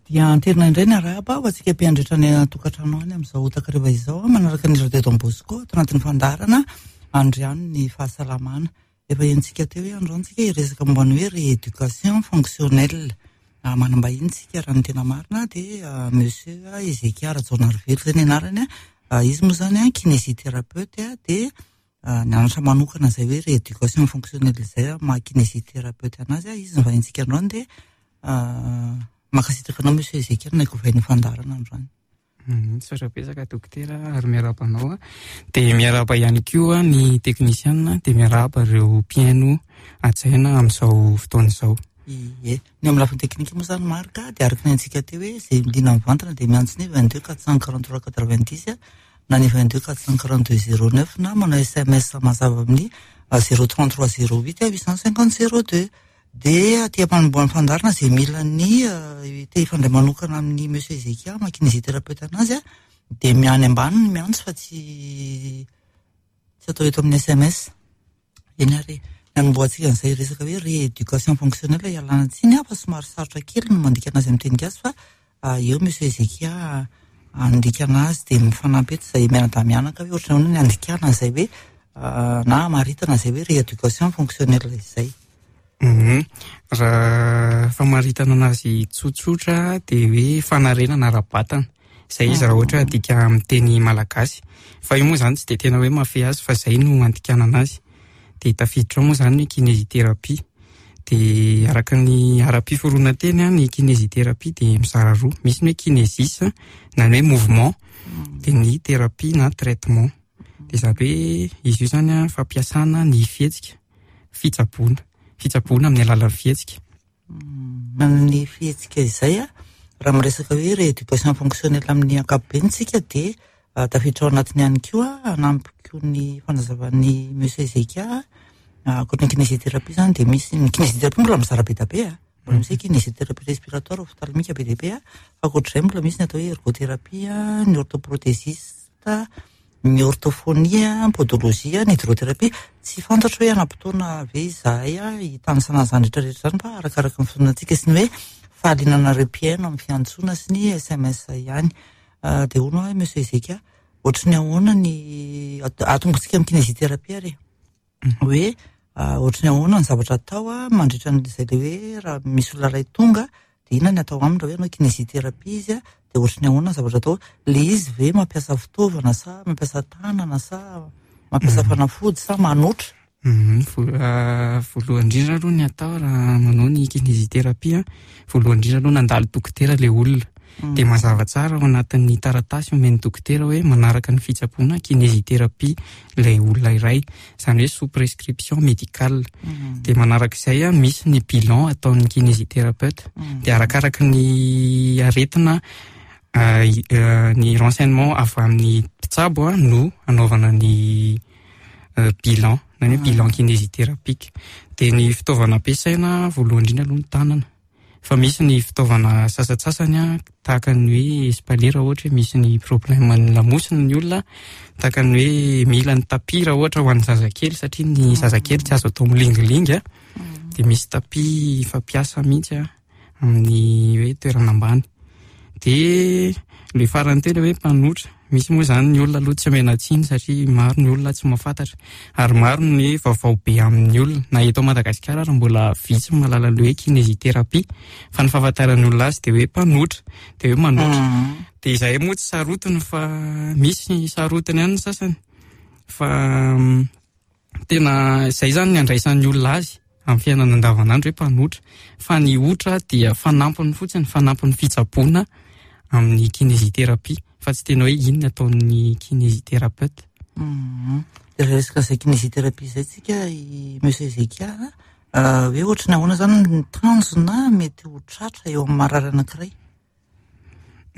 Dia anterina indray ny arahaba ho antsika mpiandritra any an-tokantrano any amin'izao takariva izao manaraka ny Radio Don Bosco ato anatin'ny fandaharana Andriano ny fahasalamana. Efa henontsika teo hoe androany tsika hiresaka momba ny hoe rééducation fonctionnelle. Manam-bahiny tsika raha ny tena marina dia Monsieur Ezekia Rajaonarivelo izay ny anarany. Izy moa izany kinésithérapeute dia nianatra manokana izay hoe rééducation fonctionnelle izay maha kinésithérapeute anazy. Izy ny vahintsika androany dia mankasitraka anao Monsieur Ezekia nanaiky ho vahin'ny fandaharana androany. Misaotra betsaka dokotera ary miarahaba anao. Dia miarahaba ihany koa ny teknisiana, dia miarahaba ireo mpihaino hajaina amin'izao fotoana izao. Ie, ny amin'ny lafiny teknika moa izany Marc dia araka ny haintsika teo hoe izay liana mivantana dia miantso ny 22 443 90 na ny 22 442 09 na manao SMS mazava amin'ny 033 08 850 02. Dia aty am-panombohan'ny fandaharana izay mila ny te hifandray manokana amin'ny Monsieur Ezekia maha kinésithérapeute anazy dia miany ambany ny miantso fa tsy tsy atao eto amin'ny SMS. Eny ary ny anombohantsika an'izay resaka hoe rééducation fonctionnelle ialana tsiny fa somary sarotra kely ny mandika anazy amin'ny teny gasy fa eo Monsieur Ezekia handika anazy dia mifanampy eto izay mianadahy mianaka hoe ohatran'ny ahoana ny handikana an'izay hoe na hamaritana izay hoe rééducation fonctionnelle izay. Raha famaritana anazy tsotsotra dia hoe fanarenana ara-batana. Izay izy raha ohatra adika amin'ny teny malagasy. Fa io moa izany tsy dia tena hoe mahafehy azy fa izay no andikana anazy. Dia tafiditra ao moa izany ny kinésithérapie. Dia araka ny ara-piforonan-teny ny kinésithérapie dia mizara roa. Misy ny hoe kinésis na ny hoe mouvement, dia ny thérapie na traitement. Dia izany hoe izy io izany fampiasana ny fihetsika, fitsaboana, fitsaboana amin'ny alalan'ny fihetsika. Amin'ny fihetsika izay, raha miresaka hoe rééducation fonctionnelle amin'ny ankapobeny tsika dia tafiditra ao anatiny ihany koa hanampy koa ny fanazavan'ny Monsieur Ezekia. Ankoatra ny kinésithérapie izany dia misy ny kinésithérapie mbola mizara be dia be a. Mbola misy hoe kinésithérapie respiratoire, ophtalmique be dia be a. Fa ankoatr'izay mbola misy ny atao hoe ergothérapie, ny orthoprothésiste, ny orthophonie, ny podologie, ny hydrothérapie. Tsy fantatro hoe hanam-potoana ve izahay hitanisana an'izany rehetra rehetra izany fa arakaraka ny fotoanantsika sy ny hoe fahaliananareo mpihaino amin'ny fiantsoana sy ny SMS ihany. Dia hono aho Monsieur Ezekia, ohatry ny ahoana ny atombotsika amin'ny kinésithérapie ary e? Hoe ohatry ny ahoana ny zavatra atao mandritra an'izay le hoe raha misy olona iray tonga dia inona ny atao aminy raha hoe hanao kinésithérapie izy dia ohatry ny ahoana ny zavatra atao? Le izy ve mampiasa fitaovana sa mampiasa tanana sa mampiasa fanafody sa manotra? Voalohany indrindra aloha ny atao raha manao ny kinésithérapie, voalohany indrindra aloha nandalo dokotera ilay olona. Dia mazava tsara ao anatin'ny taratasy omen'ny dokotera hoe manaraka ny fitsaboana kinésithérapie ilay olona iray, izany hoe sous prescription médicale. Dia manaraka izay misy ny bilan ataon'ny kinésithérapeute. Dia arakaraka ny aretina ny renseignement avy amin'ny mpitsabo no anaovana ny bilan, na ny hoe bilan kinésithérapique. Dia ny fitaovana ampiasaina voalohany indrindra aloha ny tanana. Fa misy ny fitaovana sasantsasany tahaka ny hoe espalier raha ohatra hoe misy ny problème ny lamosina ny olona, tahaka ny hoe mila ny tapis raha ohatra ho an'ny zazakely satria ny zazakely tsy azo atao milingilingy, dia misy tapis fampiasa mihitsy amin'ny hoe toerana ambany. Dia ilay farany teo ilay hoe mpanotra, misy moa izany ny olona aloha tsy omena tsiny satria maro ny olona tsy mahafantatra ary maro ny vaovao be amin'ny olona, na eto Madagasikara ary mbola vitsy ny mahalala ilay hoe kinésithérapie fa ny fahafantaran'ny olona azy dia hoe mpanotra, dia hoe manotra. Dia izahay moa tsy sarotiny fa misy sarotiny ihany ny sasany fa tena izay izany ny andraisan'ny olona azy amin'ny fiainana andavanandro hoe mpanotra, fa ny otra dia fanampiny fotsiny, fanampin'ny fitsaboana amin'ny kinésithérapie fa tsy tena hoe iny ny ataon'ny kinésithérapeute. Dia resaka izay kinésithérapie izay tsika i Monsieur Ezekia, hoe ohatry ny ahoana izany ny tanjona mety ho tratra eo amin'ny marary anankiray?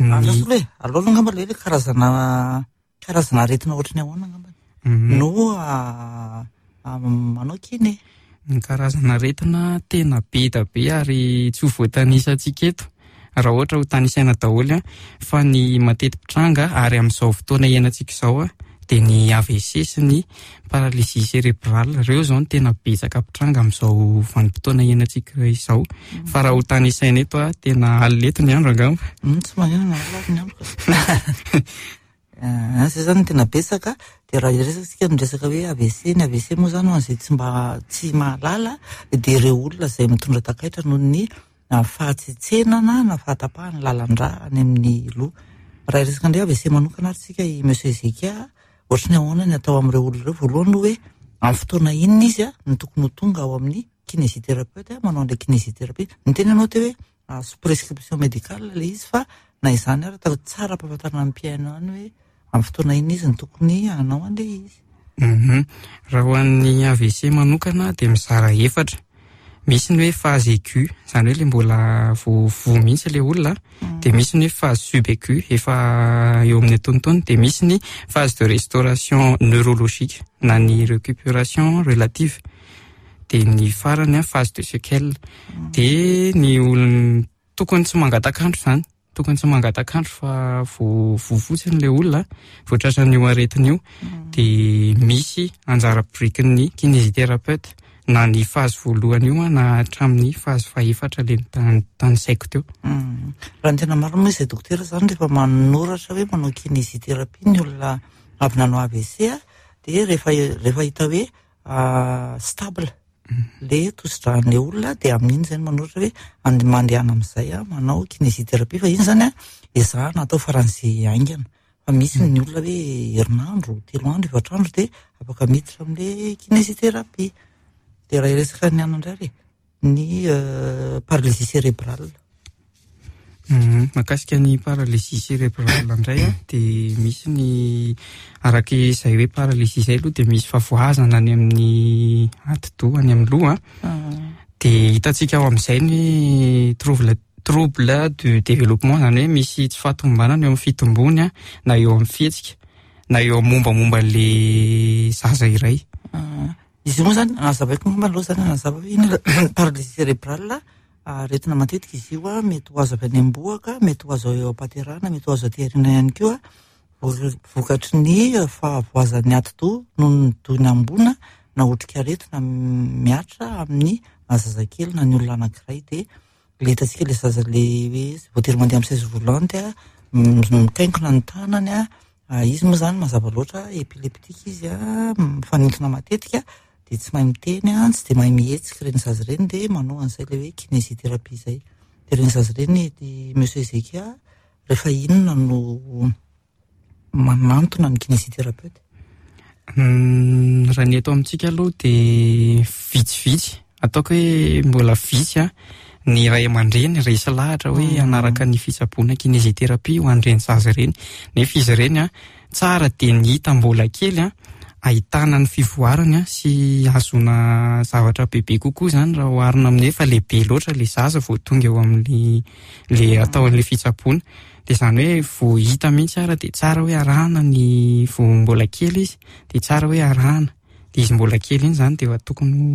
Aleo aloha e, aleo aloha angamba ilay hoe karazana Karazana aretina ohatry ny ahoana angamba no manao kine? Ny karazana aretina tena be da be ary tsy ho voatanisantsika eto raha ohatra ho tanisaina daholo fa ny mateti-pitranga ary amin'izao fotoana iainantsika izao. dia ny AVC sy ny paralysie cérébrale. Ireo izao no tena betsaka mpitranga amin'izao vanim-potoana iainantsika izao. Fa raha ho tanisaina eto a, tena alina eto ny andro angamba. Tsy maninona alina ny andro. Izay izany no tena betsaka. Dia raha hiresaka isika ny resaka hoe AVC, ny AVC moa izany ho an'izay tsy mba tsy mahalala dia ireo olona izay mitondra takaitra noho ny fahatsetsenana na fahatapahan'ny lalan-drà any amin'ny loha. Raha hiresaka indray AVC manokana ary isika i Monsieur Zekia, ohatry ny ahoana ny atao amin'ireo olona ireo? Voalohany aloha hoe amin'ny fotoana inona izy no tokony ho tonga ao amin'ny kinésithérapeute manao an'ilay kinésithérapie. Niteny ianao teo hoe sous prescription médicale ilay izy fa na izany ary atao tsara ampahafantarina ny mpihaino ihany hoe amin'ny fotoana inona izy no tokony hanao an'ilay izy. Raha ho an'ny AVC manokana dia mizara efatra. Misy ny hoe phase aiguë, izany hoe ilay mbola vao voa mihitsy ilay olona, dia misy ny hoe phase subaiguë, efa eo amin'ny antonontonony, dia misy ny phase de restauration neurologique na ny récupération relative. Dia ny farany a, phase de séquelle. Dia ny olona tokony tsy mangatak'andro izany, tokony tsy mangatak'andro fa vao voa fotsiny ilay olona, vao tratran'io aretina io, dia misy anjara birikin'ny kinésithérapeute na ny phase voalohany io a, na hatramin'ny phase fahefatra ilay notanisaiko teo. Raha ny tena marina moa izay dokotera izany rehefa manoratra hoe manao kinésithérapie ny olona avy nanao AVC a, dia rehefa hita hoe stable le tosi-dràn'ilay olona dia amin'iny izay no manoratra hoe mandehana amin'izay a, manao kinésithérapie fa iny izany a ezahana atao faran'izay haingana fa misy ny olona hoe herinandro, 3 andro, 4 andro dia afaka miditra amin'ilay kinésithérapie. Dia raha hiresaka ny anona indray ary ny paralysie cérébrale. Mahakasika ny paralysie cérébrale indray a, dia misy ny araka izay hoe paralysie izay aloha dia misy fahavoazana any amin'ny atidoha, any amin'ny loha. Dia hitantsika ao amin'izay ny trouble du développement, izany hoe misy tsy fahatomombanana eo amin'ny fitombony a, na eo amin'ny fihetsika, na eo amin'ny mombamomba an'ilay zaza iray. Izy io moa izany, nazavaiko angamba aloha izany, nazava hoe inona ilay paralysie cérébrale. Aretina matetika izy io a, mety ho azo avy any am-bohoka, mety ho azo eo am-pahaterahana, mety ho azo aty aoriana ihany koa, vokatry ny fahavoazan'ny atidoha noho ny donam-boana na otrikaretina mihatra amin'ny zazakely na ny olona anankiray. Dia ilay hitantsika ilay zaza ilay hoe voatery mandeha amin'ny chaise roulante a, mikainkona ny tanany a, izy moa izany mazava loatra épileptique izy a, mifanintona matetika, dia tsy mahay miteny a, tsy dia mahay mihetsika ireny zaza ireny, dia manao an'izay ilay hoe kinésithérapie izay. Dia ireny zaza ireny, i Monsieur Zekia, rehefa inona no manantona ny kinésithérapeute? Raha ny eto amintsika aloha dia vitsivitsy, ataoko hoe mbola vitsy a, ny ray aman-dreny resy lahatra hoe hanaraka ny fitsaboana kinésithérapie ho an'ireny zaza ireny, nefa izy ireny a, tsara dia ny hita mbola kely a, ahitana ny fivoarany a, sy ahazoana zavatra bebe kokoa izany raha oharina amin'ny hoe efa lehibe loatra ilay zaza vao tonga eo amin'ny le atao an'ilay fitsaboana. Dia izany hoe vao hita mihitsy ara dia tsara hoe arahana ny vao mbola kely izy, dia tsara hoe arahana. Dia izy mbola kely iny izany dia efa tokony ho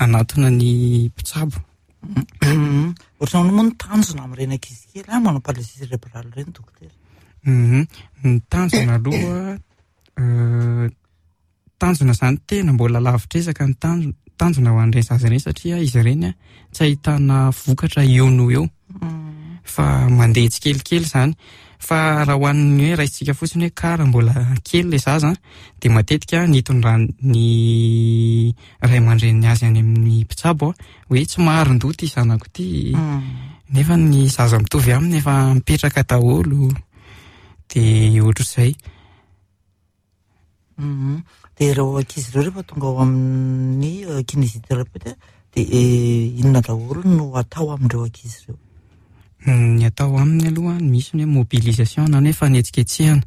hanatona ny mpitsabo. Ohatran'ny moa ny tanjona amin'ireny ankizy kely a, manao paralysie cérébrale ireny dokotera. Ny tanjona aloha, tanjona izany tena mbola lavitra ezaka ny tanjona ho an'ireny zaza ireny satria izy ireny a, tsy ahitana vokatra eo noho eo. Fa mandeha tsikelikely izany. Fa raha ho an'ny hoe raisintsika fotsiny hoe kara mbola kely ilay zaza, dia matetika ny hitondran'ny ray aman-dreniny azy any amin'ny mpitsabo a, hoe tsy maharin-doha ity zanako ity, nefa ny zaza mitovy aminy efa mipetraka daholo, dia ohatr'izay. Dia ireo ankizy ireo rehefa tonga ao amin'ny kinésithérapeute dia inona daholo no atao amin'ireo ankizy ireo? Ny atao aminy aloha, misy ny hoe mobilisation na ny hoe fanetsiketsehana.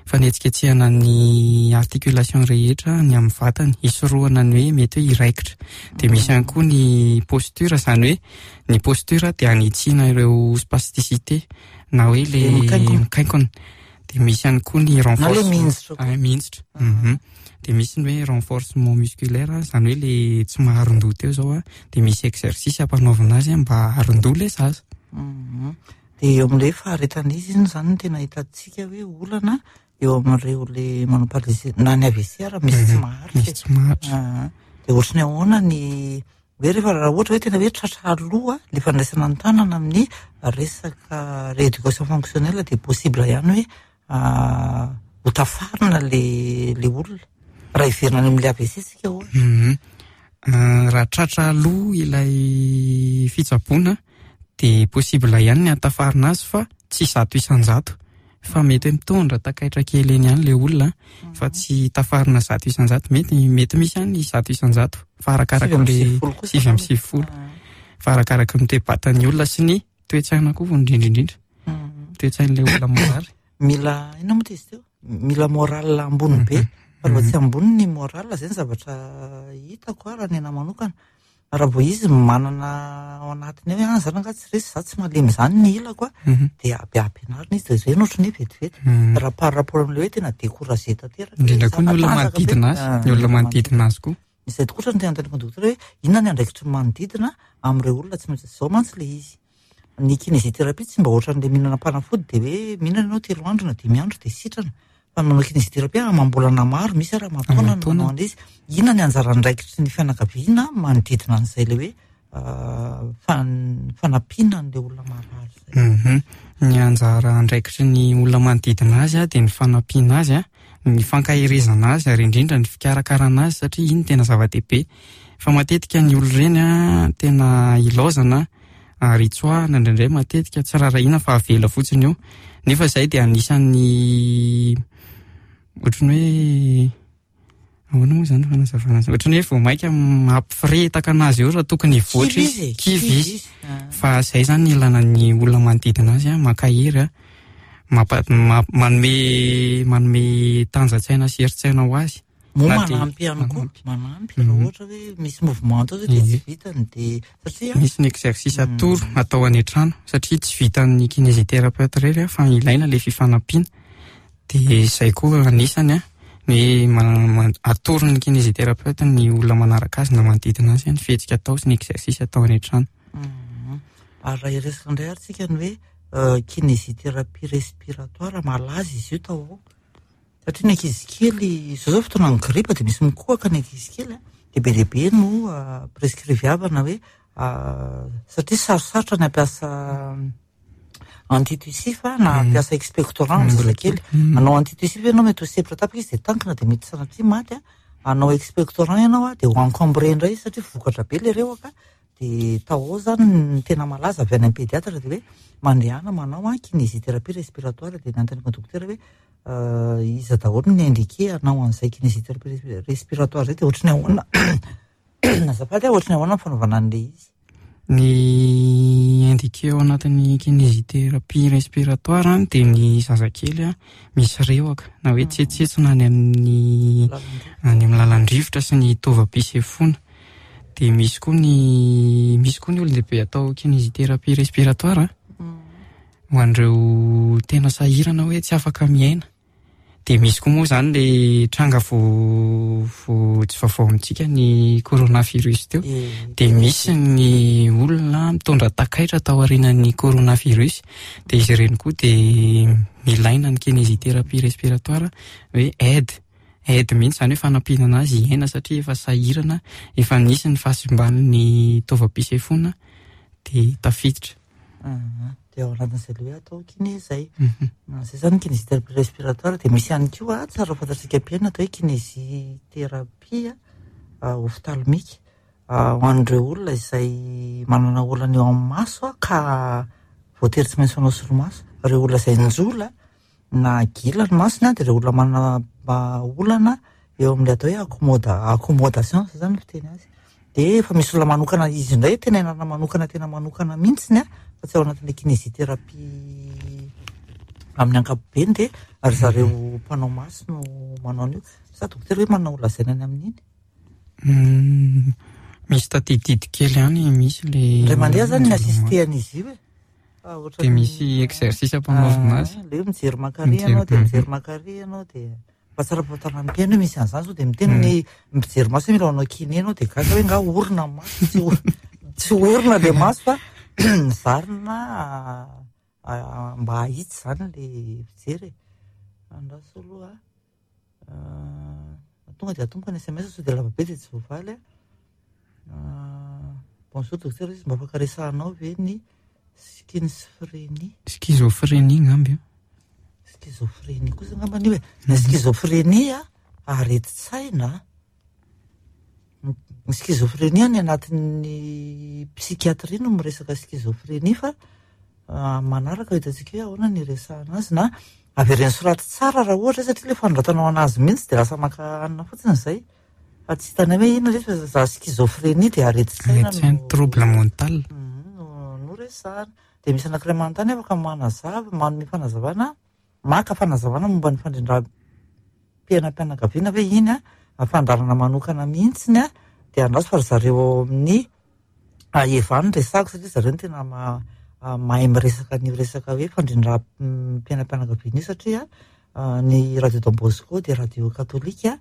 Fanetsiketsehana ny articulation rehetra ny amin'ny vatany, hisorohana ny hoe mety hoe hiraikitra. Dia misy ihany koa ny posture, izany hoe ny posture dia hanitsiana ireo spasticité na hoe le mikainkona. Dia misy ihany koa ny Na le renforcement. mihinjitra koa. Ah, mihinjitra. Dia misy ny hoe renforcement musculaire, izany hoe le tsy maharin-doha teo izao a, dia misy exercice ampanaovina azy mba haharin-doha ilay zaza. Dia eo amin'ilay faharetana izy iny izany no tena hitantsika hoe olana. eo amin'ireo le manao paralysie na ny AVC ary misy tsy maharitra. Misy tsy maharitra. Dia ohatry ny ahoana ny hoe rehefa raha ohatra hoe tena hoe tratra aloha le fandraisana ny tanana amin'ny resaka rééducation fonctionnelle dia possible ihany hoe ho tafarina le le olona raha hiverina any amin'ilay AVC tsika ohatra. Raha tratra aloha ilay fitsaboana dia possible ihany ny hatafarina azy fa tsy 100% fa mety hoe mitondra takaitra kely eny ihany le olona fa tsy tafarina 100%, mety misy ihany 100% fa arakaraka le 99 fa arakaraka ny toe-batan'ny olona sy ny toe-tsaina koa vao indrindra indrindra. Toe-tsain'ilay olona marary. Mila inona moa izy teo? Mila moral ambony be. Fa raha tsy ambony ny moral zay ny zavatra hitako raha ny anahy manokana. Raha vao izy manana ao anatiny ao hoe zany angaha tsy resy, za tsy malemy zany ny ilako a, dia ampianarina izy, dia zay no ohatran'ny hoe vetivety. Raha par rapport amin'ilay hoe tena découragé tanteraka. Indrindra koa ny olona manodidina azy, ny olona manodidina azy koa. Izay tokoa no tena anontaniako ny dokotera hoe inona ny andraikitry ny manodidina amin'ireo olona tsy maintsy izao mantsy ilay izy. Ny kinésithérapie tsy mba ohatran'ilay mihinana fanafody dia hoe mihinana ianao 3 andro na 5 andro dia sitrana. Fa ny manao kinésithérapie amam-bolana maro, misy ary aman-taona no manao an'ilay izy. Inona ny anjara andraikitry ny fianakaviana manodidina an'izay ilay hoe fanampiana an'ilay olona marary izay? Ny anjara andraikitry ny olona manodidina azy dia ny fanampiana azy, ny fankaherezana azy ary indrindra ny fikarakarana azy satria iny tena zava-dehibe. Fa matetika ny olona ireny tena ilaozana ary tsoahana indraindray matetika tsy rarahina fa avela fotsiny eo. Nefa izay dia anisan'ny ohatran'ny hoe ahoana moa izany fanazavana azy? Ohatran'ny hoe vao mainka mampifiretaka anazy eo raha tokony hivoatra izy. Kivy izy. Fa izay izany ny ilana ny olona manodidina azy, mankahery, manome tanjan-tsaina sy herin-tsaina ho azy. Moa manampy ihany koa, manampy raha ohatra hoe misy mouvement atao dia tsy vitany dia satria misy ny exercice atoro atao any an-trano satria tsy vitan'ny kinésithérapeute irery fa ilaina ilay fifanampiana. Dia izay koa anisany ny atoron'ny kinésithérapeute ny olona manaraka azy na manodidina azy ny fihetsika atao sy ny exercice atao any an-trano. Ary raha hiresaka indray ary tsika ny hoe kinésithérapie respiratoire malaza izy io tao ao. Satria ny ankizy kely, izao zao fotoana ny gripa dia misy mikohaka ny ankizy kely, dia be dia be no prescriviavana hoe satria sarosarotra ny hampiasa antitussif na hampiasa expectorant amin'ny zazakely. Hanao antitussif ianao mety ho sempotra tapaka izy dia tankina dia mety sanatria maty. Hanao expectorant ianao dia ho encombré indray izy satria vokatra be ilay rehoka. Dia tao ao zany ny tena malaza avy any amin'ny pédiatre dia hoe mandehana manao kinésithérapie respiratoire. Dia nanontaniako ny dokotera hoe iza daholo ny indiqué hanao an'izay kinésithérapie respiratoire zay, dia ohatry ny ahoana azafady, ohatry ny ahoana ny fanaovana an'ilay izy? Ny indiqué ao anatin'ny kinésithérapie respiratoire dia ny zazakely misy rehoka na hoe tsetsetsina any amin'ny any amin'ny lalan-drivotra sy ny taovam-pisefoana. Dia misy koa ny misy koa ny olon-dehibe atao kinésithérapie respiratoire ho an'ireo tena sahirana hoe tsy afaka miaina. Dia misy koa moa izany le tranga vo tsy vaovao amintsika ny coronavirus teo. Dia misy ny olona mitondra takaitra tao aorianan'ny coronavirus. Dia izy ireny koa dia milaina ny kinésithérapie respiratoire hoe aide. Aide mihitsy izany hoe fanampiana anazy hiaina satria efa sahirana, efa nisy ny fahasimban'ny taovam-pisefoana dia tafiditra. Dia ao anatin'izay ilay hoe atao kiné izay. Izay izany kinésithérapie respiratoire. Dia misy ihany koa tsara ho fantatsika mpihaino atao hoe kinésithérapie ophtalmique ho an'ireo olona izay manana olana eo amin'ny maso ka voatery tsy maintsy manao solomaso. Ireo olona izay njola na gila ny masony dia ireo olona manana olana eo amin'ilay atao hoe accommodation, zay zany ny fiteny azy. Dia efa misy olona manokana izy indray, tena ianarana manokana, tena manokana mihitsy fa tsy ao anatin'ilay kinésithérapie amin'ny ankapobeny, dia ry zareo mpanao maso no manao an'io. Sa dokotera hoe manao lazaina any amin'iny? Misy tadididy kely ihany, misy le Indray mandeha zany ny assisté an'izy io e. Dia misy exercice ampanaovina azy. Ilay hoe mijery makary ianao dia mijery makary ianao dia mba tsara fahafantarana ny mpihaino hoe misy an'izany sao dia miteny ny mpijery maso hoe mila manao kiné ianao dia gaga hoe nga orona ny maso, tsy orona ilay maso fa zarina mba hahitsy izany ilay fijery e. Andraso aloha a. Tonga dia atomboka ny SMS sao dia lava be dia tsy voavaly a. Bonjour docteur, izy mba afaka resahanao ve ny schizophrénie? Schizophrénie ngamba io. Schizophrénie kosa angamba io e. Ny schizophrénie a, aretin-tsaina. Ny schizophrénie any anatin'ny psychiatrie no miresaka schizophrénie fa manaraka hitantsika hoe ahoana ny iresahana azy na avereno soraty tsara raha ohatra satria ilay fanoratanao anazy mihitsy dia lasa maka hanina fotsiny izay fa tsy hitanay hoe inona ilay izy fa za schizophrénie dia aretin-tsaina no trouble mental no resahana. Dia misy anankiray manontany afaka manazava, manome fanazavana, maka fanazavana momba ny fandrindram-piainam-pianakaviana ve iny a, fandaharana manokana mihitsy a, dia andraso fa ry zareo ao amin'ny Eva no resahako satria zareo no tena mahay miresaka an'io resaka hoe fandrindram-piainam-pianakaviana io satria ny radio Don Bosco dia radio katolika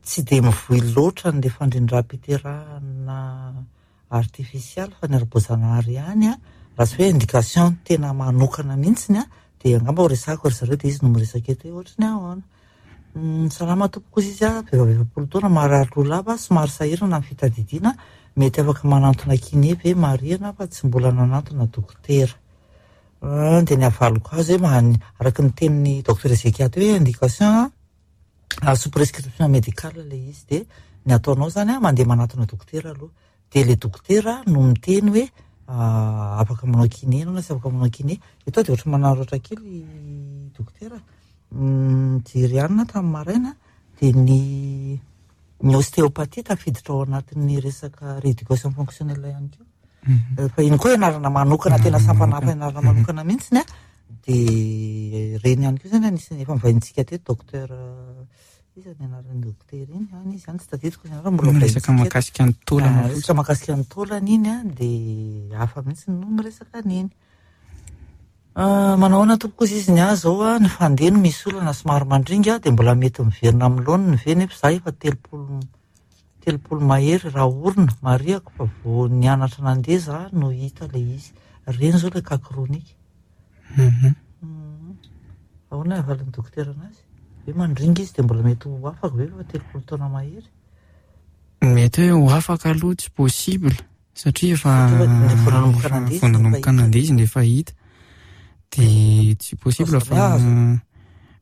tsy dia mivoy loatra an'ilay fandrindram-piterahana artifisialy fa ny ara-boajanahary ihany raha tsy hoe indication tena manokana mihitsy dia angamba ho resahako ry zareo dia izy no miresaka eto hoe ohatry ny ahoana. Salama tompoko hozy izy a, vehivavy 40 taona, marary loha lava, somary sahirana amin'ny fitadidiana, mety afaka manantona kiné ve? Marihana fa tsy mbola nanantona dokotera. Dia ny havaliko azy hoe araka ny tenin'ny docteur Ezekia teo hoe indication sous prescription médicale ilay izy dia ny ataonao izany a, mandeha manantona dokotera aloha. Dia ilay dokotera no miteny hoe afaka manao kiné ianao na tsy afaka manao kiné. Eto aho dia ohatran'ny manararaotra kely dokotera. Nijery hanina tamin'ny maraina dia ny ny ostéopathie tafiditra ao anatin'ny resaka rééducation fonctionnelle ihany koa. Fa iny koa ianarana manokana, tena sampana hafa ianarana manokana mihitsy a. Dia ireny ihany koa izany anisan'ny efa novaintsika teto docteur iza ny anaran'ny dokotera iny? Any izy any tsy tadidiko ny anarany, mbola Miresaka voaintsika eto. mahakasika ny taolana fotsiny. Resaka mahakasika ny taolana iny a, dia hafa mihitsy no miresaka an'iny. Manao ahoana tompoko hozy izy ny ahy izao a, ny fandeha no misy olana somary mandringa dia mbola mety miverina amin'ny laoniny ve nefa izaho efa 30 mahery raha orina, marihako fa vao nianatra nandeha izaho no hita ilay izy. Ireny izao ilay cas chronique. Ahoana ny havalin'ny dokotera anazy? Hoe mandringa izy dia mbola mety ho afaka ve fa 30 taona mahery? Mety hoe ho afaka aloha tsy possible. Satria efa vao nanomboka nandeha izy vao nanomboka nandeha izy no efa hita. Dia tsy possible fa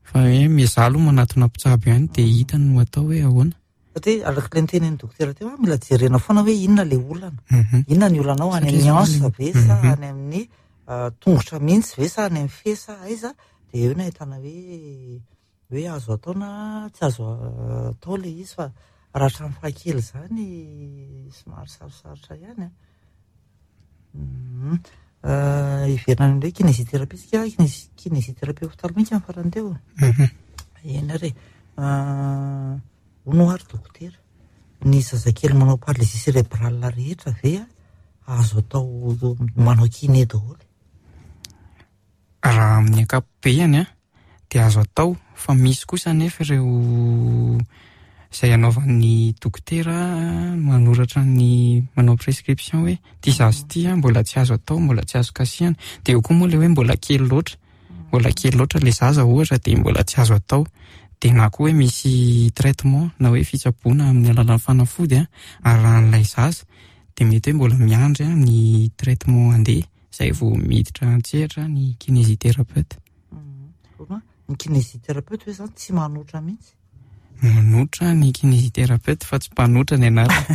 fa hoe miezaha aloha manatona mpitsabo ihany dia hita no atao hoe ahoana. Satria araka ilay nitenin'ny dokotera teo, mila jerena foana hoe inona ilay olana. Inona ny olanao any amin'ny hanche ve sa any amin'ny tongotra mihitsy ve sa any amin'ny fe sa aiza? Dia eo no ahitana hoe hoe azo atao na tsy azo atao ilay izy fa raha hatramin'ny fahakely izany somary sarosarotra ihany a. Hiverina any indray kinésithérapie isika, kinésithérapie ophtalmique ny farany teo. Eny ary e. Hono ary dokotera, ny zazakely manao paralysie cérébrale rehetra ve azo atao manao kiné daholo? Raha amin'ny ankapobeany dia azo atao fa misy kosa anefa ireo izay anaovan'ny dokotera manoratra ny manao prescription hoe ity zaza ity mbola tsy azo atao, mbola tsy azo kasihana. Dia eo koa moa ilay hoe mbola kely loatra, mbola kely loatra ilay zaza ohatra dia mbola tsy azo atao. Dia na koa hoe misy traitement na hoe fitsaboana amin'ny alalan'ny fanafody arahan'ilay zaza dia mety hoe mbola miandry ny traitement handeha. Izay vao miditra an-tsehatra ny kinésithérapeute. Ny kinésithérapeute ve izany tsy manotra mihitsy? Manotra ny kinésithérapeute fa tsy mpanotra ny anarany.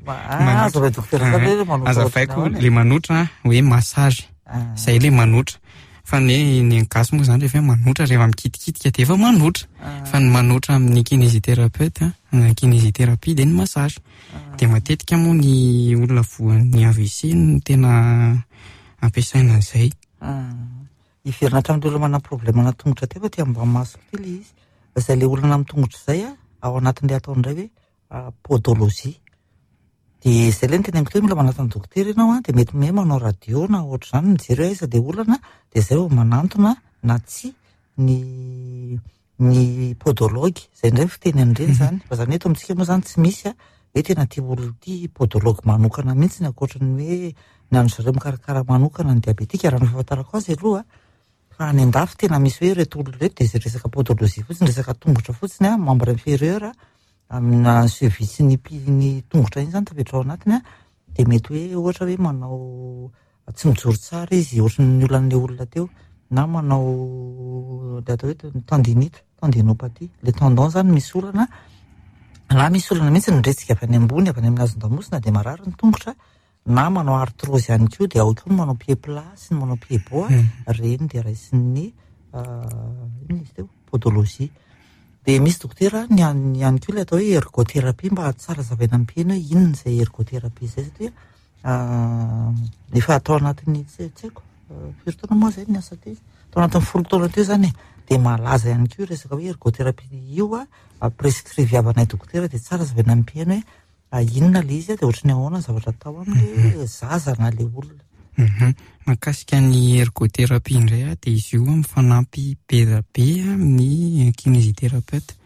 Azavaiko dokotera tsara hoe manotra Azavaiko le manotra hoe massage. Izay le manotra. Fa ny ny gasy moa izany rehefa hoe manotra rehefa mikitikitika dia efa manotra. Fa ny manotra amin'ny kinésithérapeute, ny kinésithérapie dia ny massage. Dia matetika moa ny olona voan'ny AVC no tena ampiasaina an'izay. Hiverina hatramin'ireo olona manana problème ana tongotra teo fa aty ambany masoko ity ilay izy. Izay ilay olana amin'ny tongotra izay ao anatin'ilay atao indray hoe podologie. Dia izay ilay noteneniko teo hoe mila manatona dokotera ianao dia mety hoe manao radio na ohatr'izany mijery hoe aiza ilay olana dia izay vao manantona na tsia ny ny podologue, izay indray ny fiteny an'ireny izany, fa izany hoe eto amintsika moa izany tsy misy hoe tena ity olona ity podologue manokana mihitsy ankoatra ny hoe ny an-dry zareo mikarakara manokana ny diabetika, raha ny fahafantarako azy aloha. Fa any an-dafy tena misy hoe ireto olona ireto dia izay resaka podologie fotsiny, resaka tongotra fotsiny an, membre inférieur amina cheville sy ny pied ny tongotra iny izany tafiditra ao anatiny an, dia mety hoe ohatra hoe manao tsy mijoro tsara izy ohatran'ny olan'ilay olona teo, na manao ilay atao hoe tendinite, tendinopathie, ilay tendon izany misy olana, na misy olana mihitsy ny retsika avy any ambony, avy any amin'ny hazon-damosina dia marary ny tongotra, na manao arthrose ihany koa dia ao koa ny manao pied plat sy ny manao pied bot, ireny dia raisin'ny inona izy teo? Podologie. Dia misy dokotera ny ihany koa ilay atao hoe ergothérapie mba tsara hazavaina amin'ny mpihaino hoe inona izay ergothérapie izay satria efa atao anatin'ny tsy tsy haiko firy taona moa izay ny asa teo? Tao anatin'ny 10 taona teo izany e, dia malaza ihany koa io resaka hoe ergothérapie io a, prescriviavanay dokotera dia tsara hazavaina amin'ny mpihaino hoe inona ilay izy dia ohatran'ny ahoana ny zavatra atao amin'ilay zaza na ilay olona. Mahakasika ny ergothérapie indray a, dia izy io mifanampy be dia be amin'ny kinésithérapeute.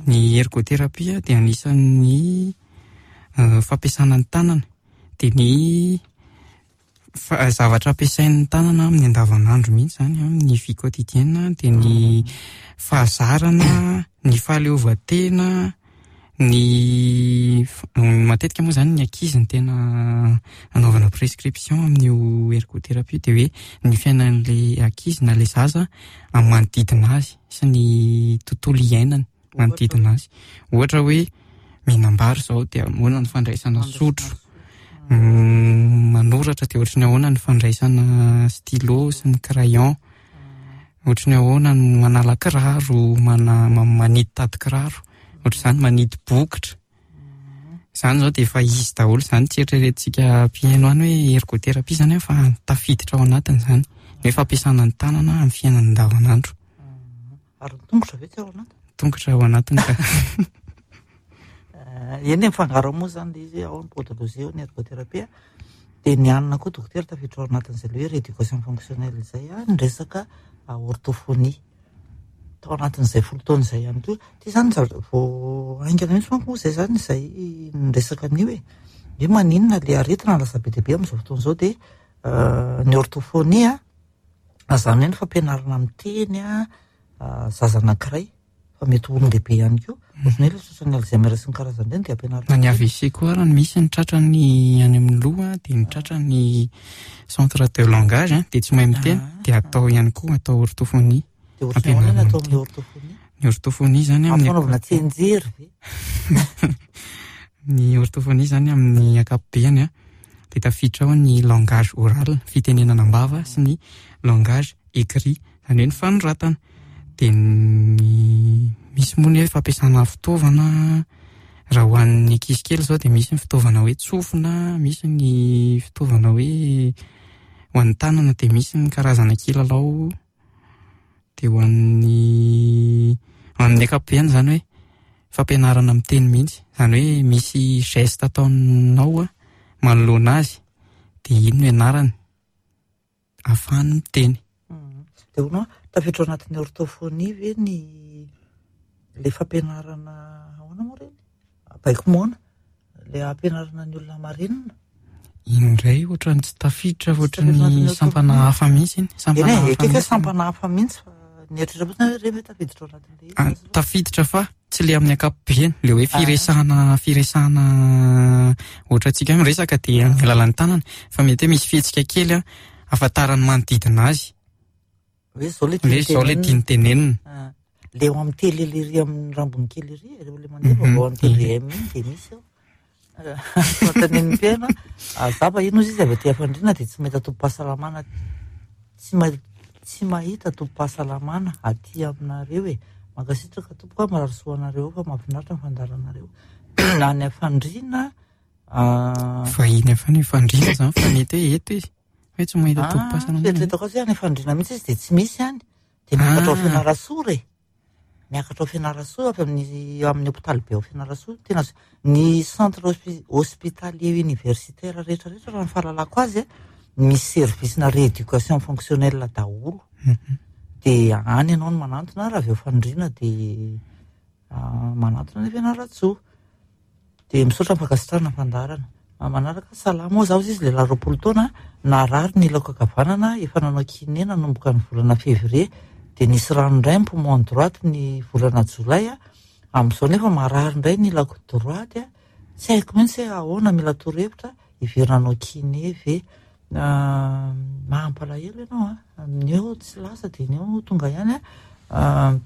Ny ergothérapie dia anisan'ny fampiasana ny tanana, dia ny zavatra ampiasain'ny tanana amin'ny andavanandro mihitsy izany, amin'ny vie quotidienne, dia ny fahazarana, ny fahaleovantena, ny matetika moa izany ny ankizy no tena anaovana prescription amin'io ergothérapie, dia hoe ny fiainan'ilay ankizy na ilay zaza amin'ny manodidina azy sy ny tontolo iainany manodidina azy. Ohatra hoe mihinam-bary izao dia ahoana ny fandraisana sotro, manoratra dia ohatry ny ahoana ny fandraisana stylo sy ny crayon, ohatry ny ahoana ny manala kiraro, manidy tady kiraro, ohatr'izany manidy bokotra. Izany izao dia efa izy daholo izany, tsy eritreretintsika mpihaino any hoe ergothérapie izany fa tafiditra ao anatiny izany, ny hoe fampiasana ny tanana amin'ny fiainana andavanandro. Ary ny tongotra ve tsy ao anatiny? Tongotra ao anatiny ka. Eny e, mifangaro ao moa izany ilay izy hoe ao ny podologie, ao ny ergothérapie. Dia ny anona koa dokotera tafiditra ao anatin'izay ilay hoe rééducation fonctionnelle izay, ny resaka orthophonie. Tao anatin'izay 10 taona izay ihany koa. Ity izany zavatra vao haingana mihitsy manko moa izay izany izay niresaka an'io e. Hoe maninona ilay aretina lasa be dia be amin'izao fotoana izao dia ny orthophonie, izany hoe ny fampianarana miteny zaza anankiray fa mety ho olon-dehibe ihany koa. Ohatran'ny hoe ilay tratran'ny Alzheimer sy ny karazany ireny dia ampianarina. Na ny AVC koa ary no misy ny tratran'ny any amin'ny loha dia ny tratran'ny centre de langage dia tsy mahay miteny dia atao ihany koa atao orthophonie. Dia ohatran'ny ahoana ny atao amin'ny orthophonie? Ny orthophonie izany amin'ny Ampanaovina tsianjery ve? Ny orthophonie izany amin'ny ankapobeny dia tafiditra ao ny langage oral, fitenenana am-bava sy ny langage écrit, izany hoe ny fanoratana. Dia ny misy moa ny hoe fampiasana fitaovana, raha ho an'ny ankizy kely izao dia misy ny fitaovana hoe tsofina, misy ny fitaovana hoe ho an'ny tanana dia misy ny karazana kilalao. Dia ho an'ny amin'ny ankapobeny izany hoe fampianarana miteny mihitsy, izany hoe misy geste ataonao manoloana azy dia iny no ianarany ahafahany miteny. Dia hono aho, tafiditra ao anatin'ny orthophonie ve ny ilay fampianarana ahoana moa ireny? Baiko moana, ilay ampianarana ny olona marenina? Iny indray ohatran'ny tsy tafiditra fa ohatran'ny sampana hafa mihitsy iny. Sampana hafa mihitsy. Sampana hafa mihitsy fa nieritreritra fotsiny hoe ireny ve tafiditra ao anatin'ilay izy? Tafiditra fa tsy ilay amin'ny ankapobeny, ilay hoe firesahana, firesahana ohatra antsika hoe miresaka dia amin'ny alalan'ny tanana fa mety hoe misy fihetsika kely ahafantaran'ny manodidina azy. Hoe izao ilay tiany tenenina. Hoe izao ilay tiany tenenina. Ilay eo amin'ny télé lery amin'ny rambony kely ery, ireo ilay mandeha vaovao amin'ny TVM iny dia misy ao. Fanontanian'ny mpihaino, za vahiny hozy izy avy aty Fandriana dia tsy mahita tobim-pahasalamana, tsy ma-, tsy mahita tobim-pahasalamana aty aminareo e. Mankasitraka tompoko a, mirary soa anareo fa mahafinaritra ny fandaharanareo. Any Fandriana, Vahiny avy any Fandriana izany fa mety hoe eto izy. Hoe tsy mahita tobim-pahasalamana. Fieritreretako azy hoe any Fandriana mihitsy izy dia tsy misy any. Dia miakatra ao Fianarantsoa re. Miakatra ao Fianarantsoa avy amin'ny amin'ny hopitaly be ao Fianarantsoa. Tena ny centre hospitalier universitaire rehetra rehetra raha ny fahalalako azy misy service na rééducation fonctionnelle daholo. Dia any ianao no manantona raha avy eo Fandriana dia manantona any Fianarantsoa. Dia misaotra ny fankasitrahana ny fandaharana. Manaraka, Salama ô, zaho izy lehilahy 20 taona, narary ny ilako ankavanana, efa nanao kiné nanomboka ny volana février, dia nisy rano indray ny poumon droite ny volana jolay, amin'izao nefa marary indray ny ilako droite, tsy haiko mihitsy hoe ahoana, mila torohevitra, hiverina hanao kiné ve? Mampalahelo ianao an, ny eo tsy lasa dia ny eo tonga ihany an,